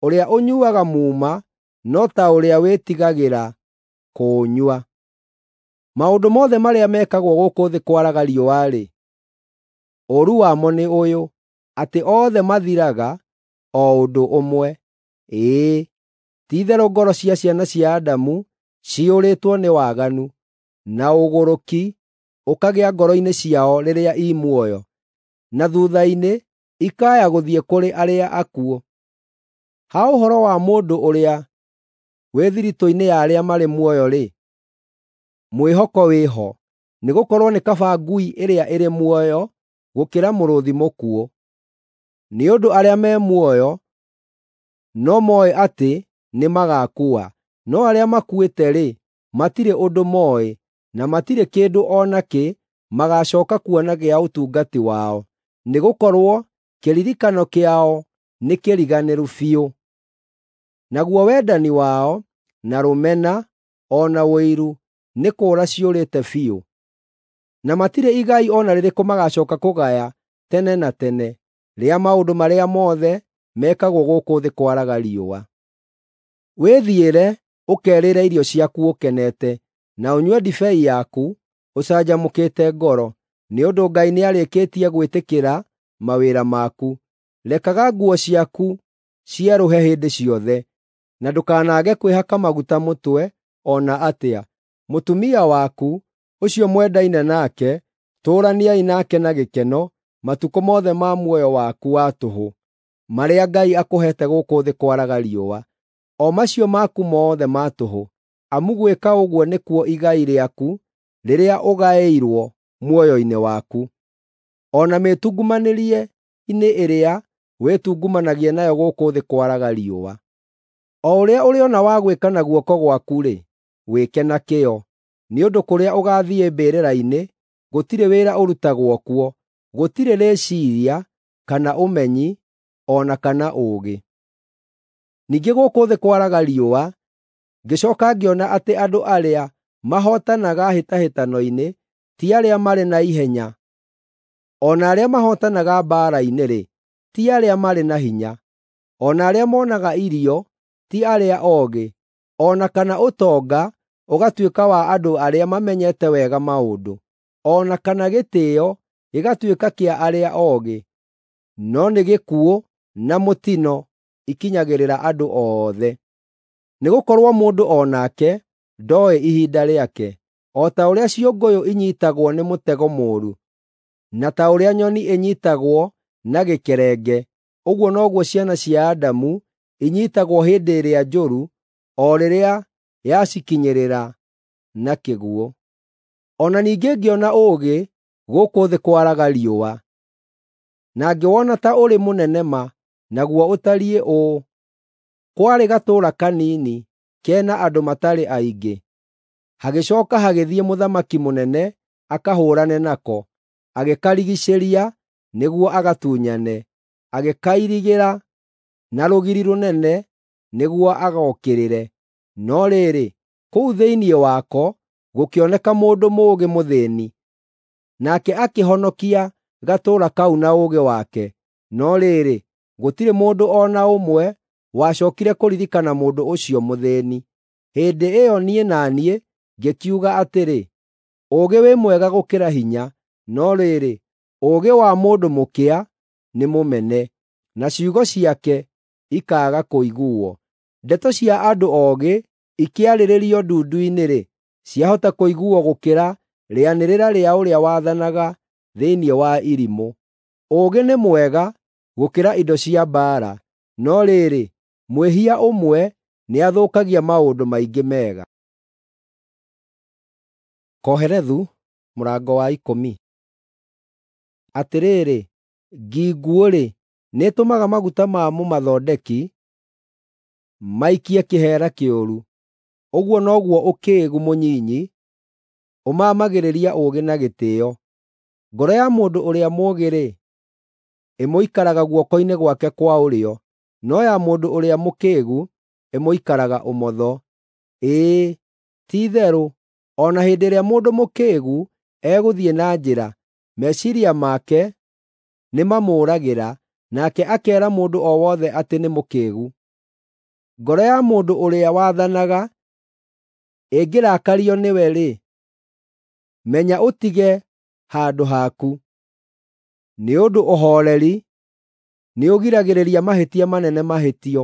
Ũrĩa ũnyuuaga muuma no ta ũrĩa wĩtigagĩra kũũnyua. Maũndũ mothe marĩa mekagwo gũkũ thĩ kwaraga riũa-rĩ, ũũru wamo nĩ ũyũ, atĩ othe mathiraga o ũndũ ũmwe. Ĩĩ, ti-itherũ ngoro cia ciana cia Adamu ciyũrĩtwo nĩ waganu, na ũgũrũki ũkagĩa ngoro-inĩ ciao rĩrĩa i muoyo, na thuutha-inĩ ikaya gũthiĩ kũrĩ arĩa akuũ. Ha ũhoro wa mũndũ ũrĩa wĩ thiritũ-inĩ ya arĩa marĩ muoyo-rĩ, mwĩhoko wĩho, nĩgũkorwo nĩ kaba ngui ĩrĩa ĩrĩ muoyo gũkĩra mũrũũthi mũkuũ. Nĩ ũndũ arĩa me muoyo no mooĩ atĩ nĩmagaakua, no arĩa makuĩte-rĩ, matirĩ ũndũ mooĩ, na matirĩ kĩndũ o nakĩ magaacooka kuona gĩa ũtungati wao, nĩgũkorwo kĩririkano kĩao nĩkĩriganĩru biũ. Naguo wendani wao, na rũmena, o na ũiru nĩ kũũra ciũrĩte biũ. Na matirĩ igai o na rĩrĩkũ magacooka kũgaya tene na tene rĩa maũndũ marĩa mothe mekagwo gũkũ thĩ kwaraga riũa. Wĩthiĩre ũkerĩre irio ciaku ũkenete, na ũnyue ndibei yaku ũcanjamũkĩte ngoro, nĩ ũndũ Ngai nĩarĩkĩtie gwĩtĩkĩra mawĩra maku. Rekaga nguo ciaku cierũhe hĩndĩ ciothe, na ndũkanaage kwĩhaka maguta mũtwe o na atĩa. Mũtumia waku, ũcio mwendaine nake, tũũraniai nake na gĩkeno matukũ mothe ma muoyo waku wa tũhũ, marĩa Ngai akũheete gũkũ thĩ kwaraga riũa, o macio maku mothe ma tũhũ, amu gwĩka ũguo nĩkuo igai rĩaku rĩrĩa ũgaĩirwo muoyo-inĩ waku. O na mĩĩtungumanĩrie-inĩ ĩrĩa wĩtungumanagia nayo gũkũ thĩ kwaraga riũa. O ũrĩa ũrĩona wa gwĩka na guoko gwaku-rĩ, wĩke na kĩyo, nĩ ũndũ kũrĩa ũgaathiĩ mbĩrĩra-inĩ gũtirĩ wĩra ũrutagwo kuo, gũtirĩ rĩciiria, kana ũmenyi, o na kana ũũgĩ. Ningĩ gũkũ thĩ kwaraga riũa, ngĩcooka ngĩona atĩ andũ arĩa mahootanaga hĩtahĩtano-inĩ ti arĩa marĩ na ihenya, o na arĩa mahootanaga mbaara-inĩ-rĩ, ti arĩa marĩ na hinya, o na arĩa moonaga irio ti arĩa oogĩ, o na kana ũtonga ũgatuĩka wa andũ arĩa mamenyete wega maũndũ, o na kana gĩtĩĩo gĩgatuĩka kĩa arĩa oogĩ, no nĩ gĩkuũ na mũtino ikinyagĩrĩra andũ othe. Nĩgũkorwo mũndũ o nake ndooĩ ihinda rĩake, o ta ũrĩa ciũngũyũ inyiitagwo nĩ mũtego mũũru, na ta ũrĩa nyoni ĩnyiitagwo na gĩkerenge, ũguo noguo ciana cia Adamu inyiitagwo hĩndĩ ĩrĩa njũru, o rĩrĩa yacikinyĩrĩra na kĩguũ. O na ningĩ ngĩona ũũgĩ gũkũ thĩ kwaraga riũa, na ngĩwona ta ũrĩ mũnene ma, naguo ũtariĩ ũũ: kwarĩ gatũũra kanini kena andũ matarĩ aingĩ. Hagĩcooka hagĩthiĩ mũthamaki mũnene akahũũrane nako, agĩkarigiicĩria nĩguo agatunyane, agĩkairigĩra na rũgiri rũnene nĩguo agookĩrĩre. No rĩrĩ, kũu thĩinĩ wako gũkĩoneka mũndũ mũũgĩ mũthĩĩni, nake akĩhonokia gatũũra kau na ũũgĩ wake. No rĩrĩ, gũtirĩ mũndũ o na ũmwe wacookire kũririkana mũndũ ũcio mũthĩĩni. Hĩndĩ ĩyo niĩ na niĩ ngĩkiuga atĩrĩ, “Ũũgĩ wĩ mwega gũkĩra hinya.” No rĩrĩ, ũũgĩ wa mũndũ mũkĩa nĩ mũmene, na ciugo ciake ikaaga kũiguuo. Ndeto cia andũ oogĩ ikĩarĩrĩrio ndundu-inĩ-rĩ, ciahota kũiguuo gũkĩra rĩanĩrĩra rĩa ũrĩa wathanaga thĩinĩ wa irimũ. Ũũgĩ nĩ mwega gũkĩra indo cia mbaara, no rĩrĩ, mwĩhia ũmwe nĩathũkagia maũndũ maingĩ mega. Kohelethu mũrango wa ikũmi. Atĩrĩrĩ, ngi nguũ-rĩ, nĩĩtũmaga maguta ma mũmathondeki maikie kĩheera kĩũru. Ũguo noguo ũkĩĩgu mũnyinyi ũmaamagĩrĩria ũũgĩ na gĩtĩĩo. Ngoro ya mũndũ ũrĩa mũũgĩ-rĩ, ĩmũikaraga guoko-inĩ gwake kwa ũrĩo, no ya mũndũ ũrĩa mũkĩĩgu ĩmũikaraga ũmotho. Ĩĩ, ti-itherũ, o na hĩndĩ ĩrĩa mũndũ mũkĩĩgu egũthiĩ na njĩra, meciiria make nĩmamũũragĩra, nake akeera mũndũ o wothe atĩ nĩ mũkĩĩgu. Ngoro ya mũndũ ũrĩa wathanaga ĩngĩrakario nĩwe-rĩ, menya ũtige handũ haku, nĩ ũndũ ũhooreri nĩũgiragĩrĩria mahĩtia manene mahĩtio.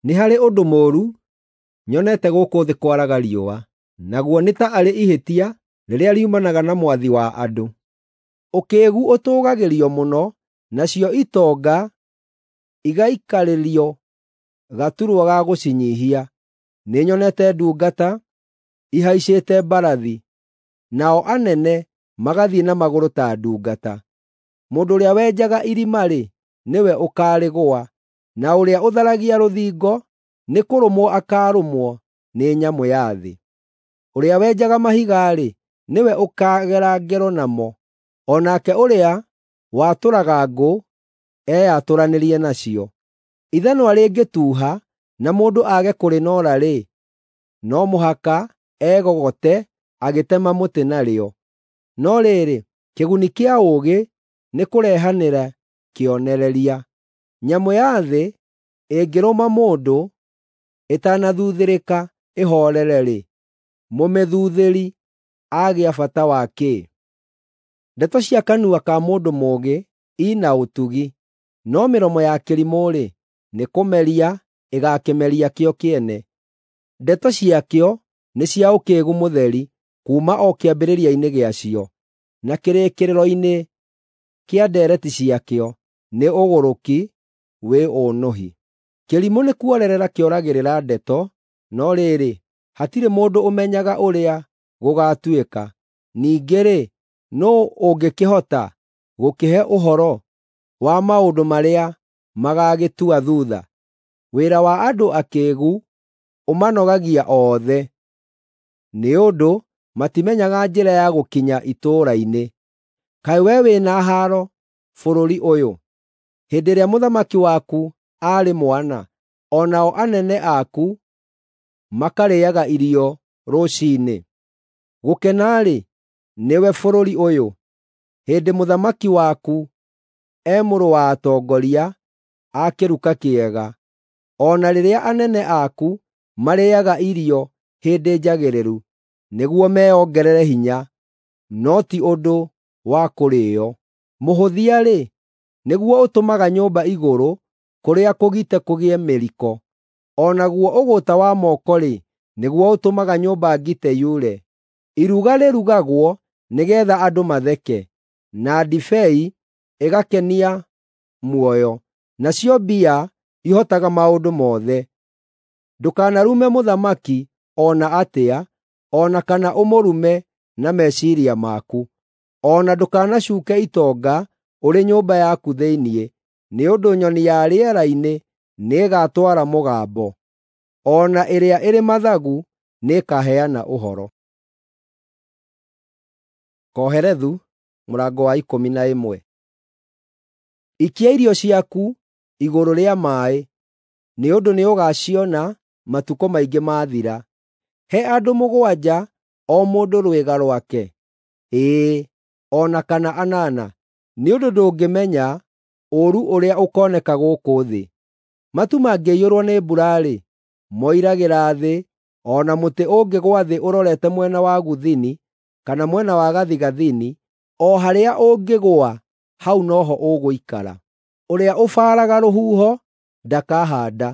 Nĩ harĩ ũndũ mũũru nyonete gũkũ thĩ kwaraga riũa, naguo nĩ ta arĩ ihĩtia rĩrĩa riumanaga na mwathi wa andũ. Ũkĩĩgu ũtũũgagĩrio mũno, nacio itonga igaikarĩrio gaturwa ga gũcinyiihia. Nĩnyonete ndungata ihaicĩte mbarathi, nao anene magathiĩ na magũrũ ta ndungata. Mũndũ ũrĩa wenjaga irima-rĩ, nĩwe ũkaarĩgũa, na ũrĩa ũtharagia rũthingo nĩkũrũmwo akaarũmwo nĩ nyamũ ya thĩ. Ũrĩa wenjaga mahiga-rĩ, nĩwe ũkaagera ngero namo, o nake ũrĩa watũraga ngũ eyatũranĩrie nacio. Ithanwa rĩngĩtuuha na mũndũ aage kũrĩnoora-rĩ, no mũhaka egogote agĩtema mũtĩ narĩo. No rĩrĩ, kĩguni kĩa ũũgĩ nĩ kũrehanĩra kĩonereria. Nyamũ ya thĩ ĩngĩrũma mũndũ ĩtanathuuthĩrĩka ĩhoorere-rĩ, mũmĩthuuthĩri agĩa bata wa kĩ? Ndeto cia kanua ka mũndũ mũũgĩ i na ũtugi, no mĩromo ya kĩrimũ-rĩ, nĩ kũmeria ĩgaakĩmeria kĩo kĩene. Ndeto ciakĩo nĩ cia ũkĩĩgu mũtheri kuuma o kĩambĩrĩria-inĩ gĩacio, na kĩrĩkĩrĩro-inĩ kĩa ndeereti ciakĩo nĩ ũgũrũki wĩ ũnũhi. Kĩrimũ nĩ kuorerera kĩoragĩrĩra ndeto, no rĩrĩ, hatirĩ mũndũ ũmenyaga ũrĩa gũgaatuĩka. Ningĩ-rĩ, nũũ ũngĩkĩhota gũkĩhe ũhoro wa maũndũ marĩa magaagĩtua thuutha? Wĩra wa andũ akĩĩgu ũmanogagia othe, nĩ ũndũ matimenyaga njĩra ya gũkinya itũũra-inĩ. Kaĩ wee wĩ na haaro bũrũri ũyũ, hĩndĩ ĩrĩa mũthamaki waku aarĩ mwana, o nao anene aku makarĩĩaga irio rũciinĩ? Gũkena-rĩ, nĩwe bũrũri ũyũ, hĩndĩ mũthamaki waku e mũrũ wa atongoria a kĩruka kĩega, o na rĩrĩa anene aku marĩĩaga irio hĩndĩ njagĩrĩru, nĩguo meongerere hinya, no ti ũndũ wa kũrĩĩo. Mũhũthia-rĩ, nĩguo ũtũmaga nyũmba igũrũ kũrĩa kũgite kũgĩe mĩriko, o naguo ũgũta wa moko-rĩ, nĩguo ũtũmaga nyũmba ngite yure. Iruga rĩrugagwo nĩgeetha andũ matheke, na ndibei ĩgakenia muoyo, nacio mbia ihotaga maũndũ mothe. Ndũkanarume mũthamaki o na atĩa, o na kana ũmũrume na meciiria maku. O na ndũkanacuuke itonga ũrĩ nyũmba yaku thĩinĩ, nĩ ũndũ nyoni ya rĩera-inĩ nĩĩgatwara mũgambo, o na ĩrĩa ĩrĩ mathagu nĩĩkaheana ũhoro. Kohelethu mũrango wa ikũmi na ĩmwe. Ikia irio ciaku igũrũ rĩa maaĩ, nĩ ũndũ nĩũgaaciona matukũ maingĩ maathira. He andũ mũgwanja o mũndũ rwĩga rwake, ĩĩ, o na kana anana, nĩ ũndũ ndũngĩmenya ũũru ũrĩa ũkooneka gũkũ thĩ. Matu mangĩiyũrwo nĩ mbura-rĩ, moiragĩra thĩ, o na mũtĩ ũngĩgũa thĩ ũrorete mwena wa gũthini kana mwena wa gathigathini, o harĩa ũngĩgũa hau noho ũgũikara. Ũrĩa ũbaaraga rũhuho ndakahaanda,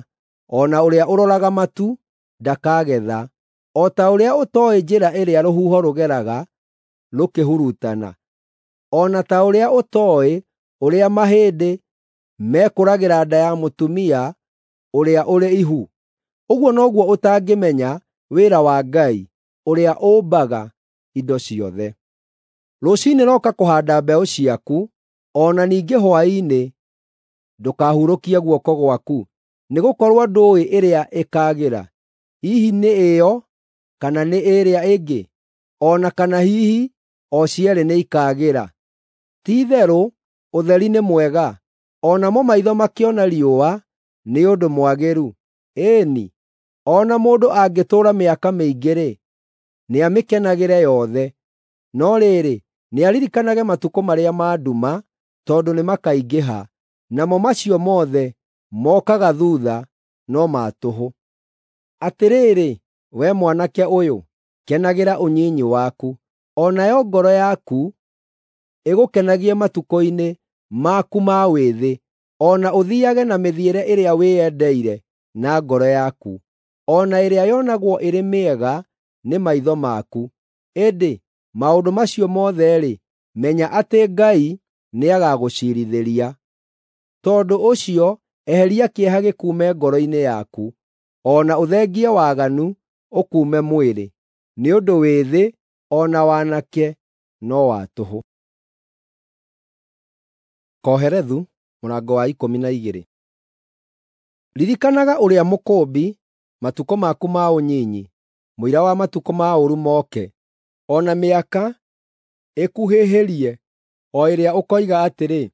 o na ũrĩa ũroraga matu ndakagetha. O ta ũrĩa ũtooĩ njĩra ĩrĩa rũhuho rũgeraga rũkĩhurutana, o na ta ũrĩa ũtooĩ ũrĩa mahĩndĩ mekũragĩra nda ya mũtumia ũrĩa ũrĩ ihu, ũguo noguo ũtangĩmenya wĩra wa Ngai ũrĩa ũmbaga indo ciothe. Rũciinĩ roka kũhaanda mbeũ ciaku, o na ningĩ hwaĩ-inĩ ndũkahurũkie guoko gwaku, nĩgũkorwo ndũũĩ ĩrĩa ĩkaagĩra, hihi nĩ ĩyo kana nĩ ĩrĩa ĩngĩ, o na kana hihi o cierĩ nĩikaagĩra. Ti-itherũ ũtheri nĩ mwega, o namo maitho makĩona riũa nĩ ũndũ mwagĩru. Ĩĩ-ni, o na mũndũ angĩtũũra mĩaka mĩingĩ-rĩ, nĩamĩkenagĩre yothe. No rĩrĩ, nĩaririkanage matukũ marĩa ma nduma, tondũ nĩmakaingĩha, namo macio mothe mokaga thuutha no ma tũhũ. Atĩrĩrĩ, wee mwanake ũyũ, kenagĩra ũnyinyi waku, o nayo ngoro yaku ĩgũkenagie matukũ-inĩ maku ma wĩthĩ, o na ũthiiage na mĩthiĩre ĩrĩa wĩyendeire na ngoro yaku, o na ĩrĩa yonagwo ĩrĩ mĩega nĩ maitho maku. Ĩndĩ maũndũ macio mothe-rĩ, menya atĩ Ngai nĩagagũciirithĩria. Tondũ ũcio eheria kĩeha gĩkuume ngoro-inĩ yaku, o na ũthengie waganu ũkuume mwĩrĩ, nĩ ũndũ wĩthĩ o na wanake no wa tũhũ. Kohelethu mũrango wa ikũmi na igĩrĩ. Ririkanaga ũrĩa Mũkũũmbi matukũ maku ma ũnyinyi, mũira wa matukũ ma ũũru moke, o na mĩaka ĩkuhĩhĩrie, o ĩrĩa ũkoiga atĩrĩ,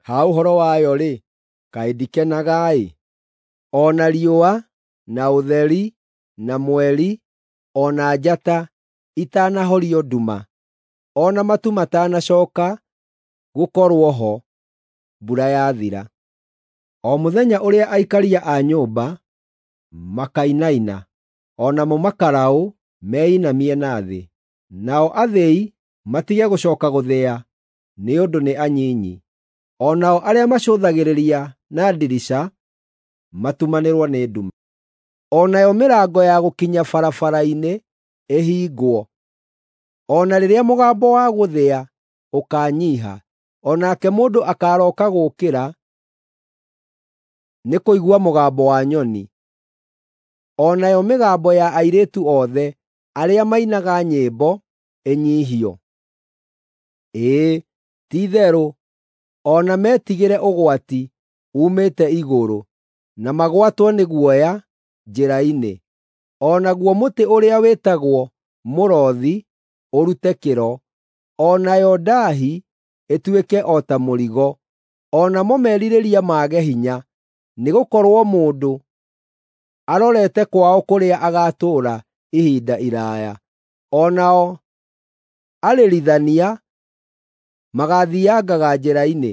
Ha ũhoro wayo-rĩ, kaĩ ndikenaga-ĩ! O na riũa, na ũtheri, na mweri, o na njata itanahorio nduma, o na matu matanacooka gũkorwo ho mbura yathira. O mũthenya ũrĩa aikaria a nyũmba makainaina, o namo makaraũ meinamie na thĩ, nao athĩi matige gũcooka gũthĩa nĩ ũndũ nĩ anyinyi, o nao arĩa macũthagĩrĩria na ndirica matumanĩrwo nĩ nduma. O nayo mĩrango ya gũkinya barabara-inĩ ĩhingwo, o na rĩrĩa mũgambo wa gũthĩa ũkaanyiiha, o nake mũndũ akaarooka gũũkĩra nĩ kũigua mũgambo wa nyoni, o nayo mĩgambo ya airĩtu othe arĩa mainaga nyĩmbo ĩnyiihio. Ĩĩ, ti-itherũ, o na metigĩre ũgwati uumĩte igũrũ, na magwatwo nĩ guoya njĩra-inĩ. O naguo mũtĩ ũrĩa wĩtagwo mũrothi ũrute kĩro, o nayo ndaahi ĩtuĩke o ta mũrigo, o namo merirĩria mage hinya, nĩgũkorwo mũndũ arorete kwao kũrĩa agaatũũra ihinda iraaya. O nao arĩrithania magaathiangaga njĩra-inĩ,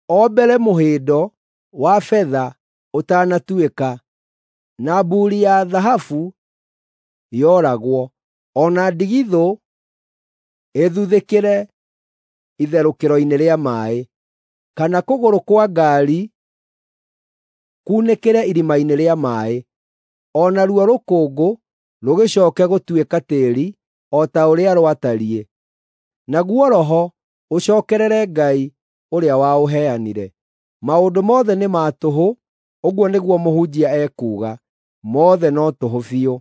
o mbere mũhĩndo wa betha ũtanatuĩka, na mbuuri ya thahabu yoragwo, o na ndigithũ ĩthuthĩkĩre itherũkĩro-inĩ rĩa maaĩ, kana kũgũrũ kwa ngaari kuunĩkĩre irima-inĩ rĩa maaĩ, o naruo rũkũngũ rũgĩcooke gũtuĩka tĩĩri o ta ũrĩa rwatariĩ, naguo roho ũcookerere Ngai ũrĩa waũheanire. Maũndũ mothe nĩ ma tũhũ, ũguo nĩguo mũhunjia ekuuga, mothe no tũhũ biũ.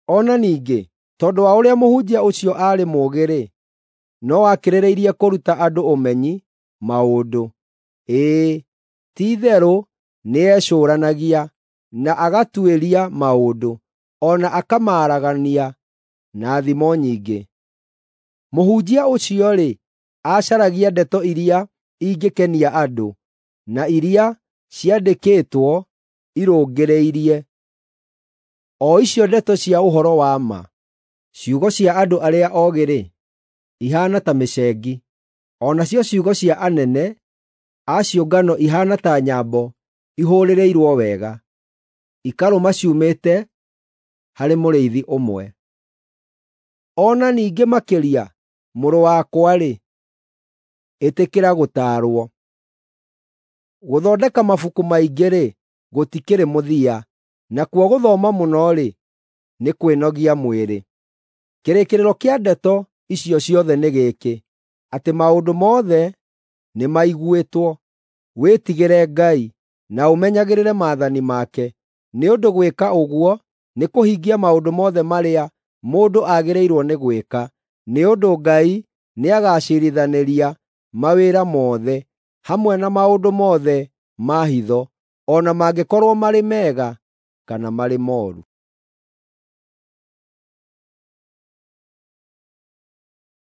O na ningĩ, tondũ wa ũrĩa mũhunjia ũcio aarĩ mũũgĩ-rĩ, no akĩrĩrĩirie kũruta andũ ũmenyi maũndũ. Ĩĩ, ti-itherũ nĩecũũranagia, na agatuĩria maũndũ, o na akamaaragania na thimo nyingĩ. Mũhunjia ũcio-rĩ, acaragia ndeto iria ingĩkenia andũ, na iria ciandĩkĩtwo irũngĩrĩirie, o icio ndeto cia ũhoro wa ma. Ciugo cia andũ arĩa oogĩ-rĩ, ihaana ta mĩcengi, o nacio ciugo cia anene a ciũngano ihaana ta nyambo ihũũrĩrĩirwo wega, ikarũma ciumĩte harĩ mũrĩithi ũmwe. O na ningĩ makĩria, mũrũ wakwa-rĩ, ĩtĩkĩra gũtaarwo. Gũthondeka mabuku maingĩ-rĩ, gũtikĩrĩ mũthia, nakuo gũthoma mũno-rĩ, nĩ kwĩnogia mwĩrĩ. Kĩrĩkĩrĩro kĩa ndeto icio ciothe nĩ gĩkĩ, atĩ maũndũ mothe nĩmaiguĩtwo. Wĩtigĩre Ngai na ũmenyagĩrĩre maathani make, nĩ ũndũ gwĩka ũguo nĩ kũhingia maũndũ mothe marĩa mũndũ agĩrĩirwo nĩ gwĩka, nĩ ũndũ Ngai nĩagaciirithanĩria mawĩra mothe, hamwe na maũndũ mothe ma hitho, o na mangĩkorwo marĩ mega kana marĩ mooru.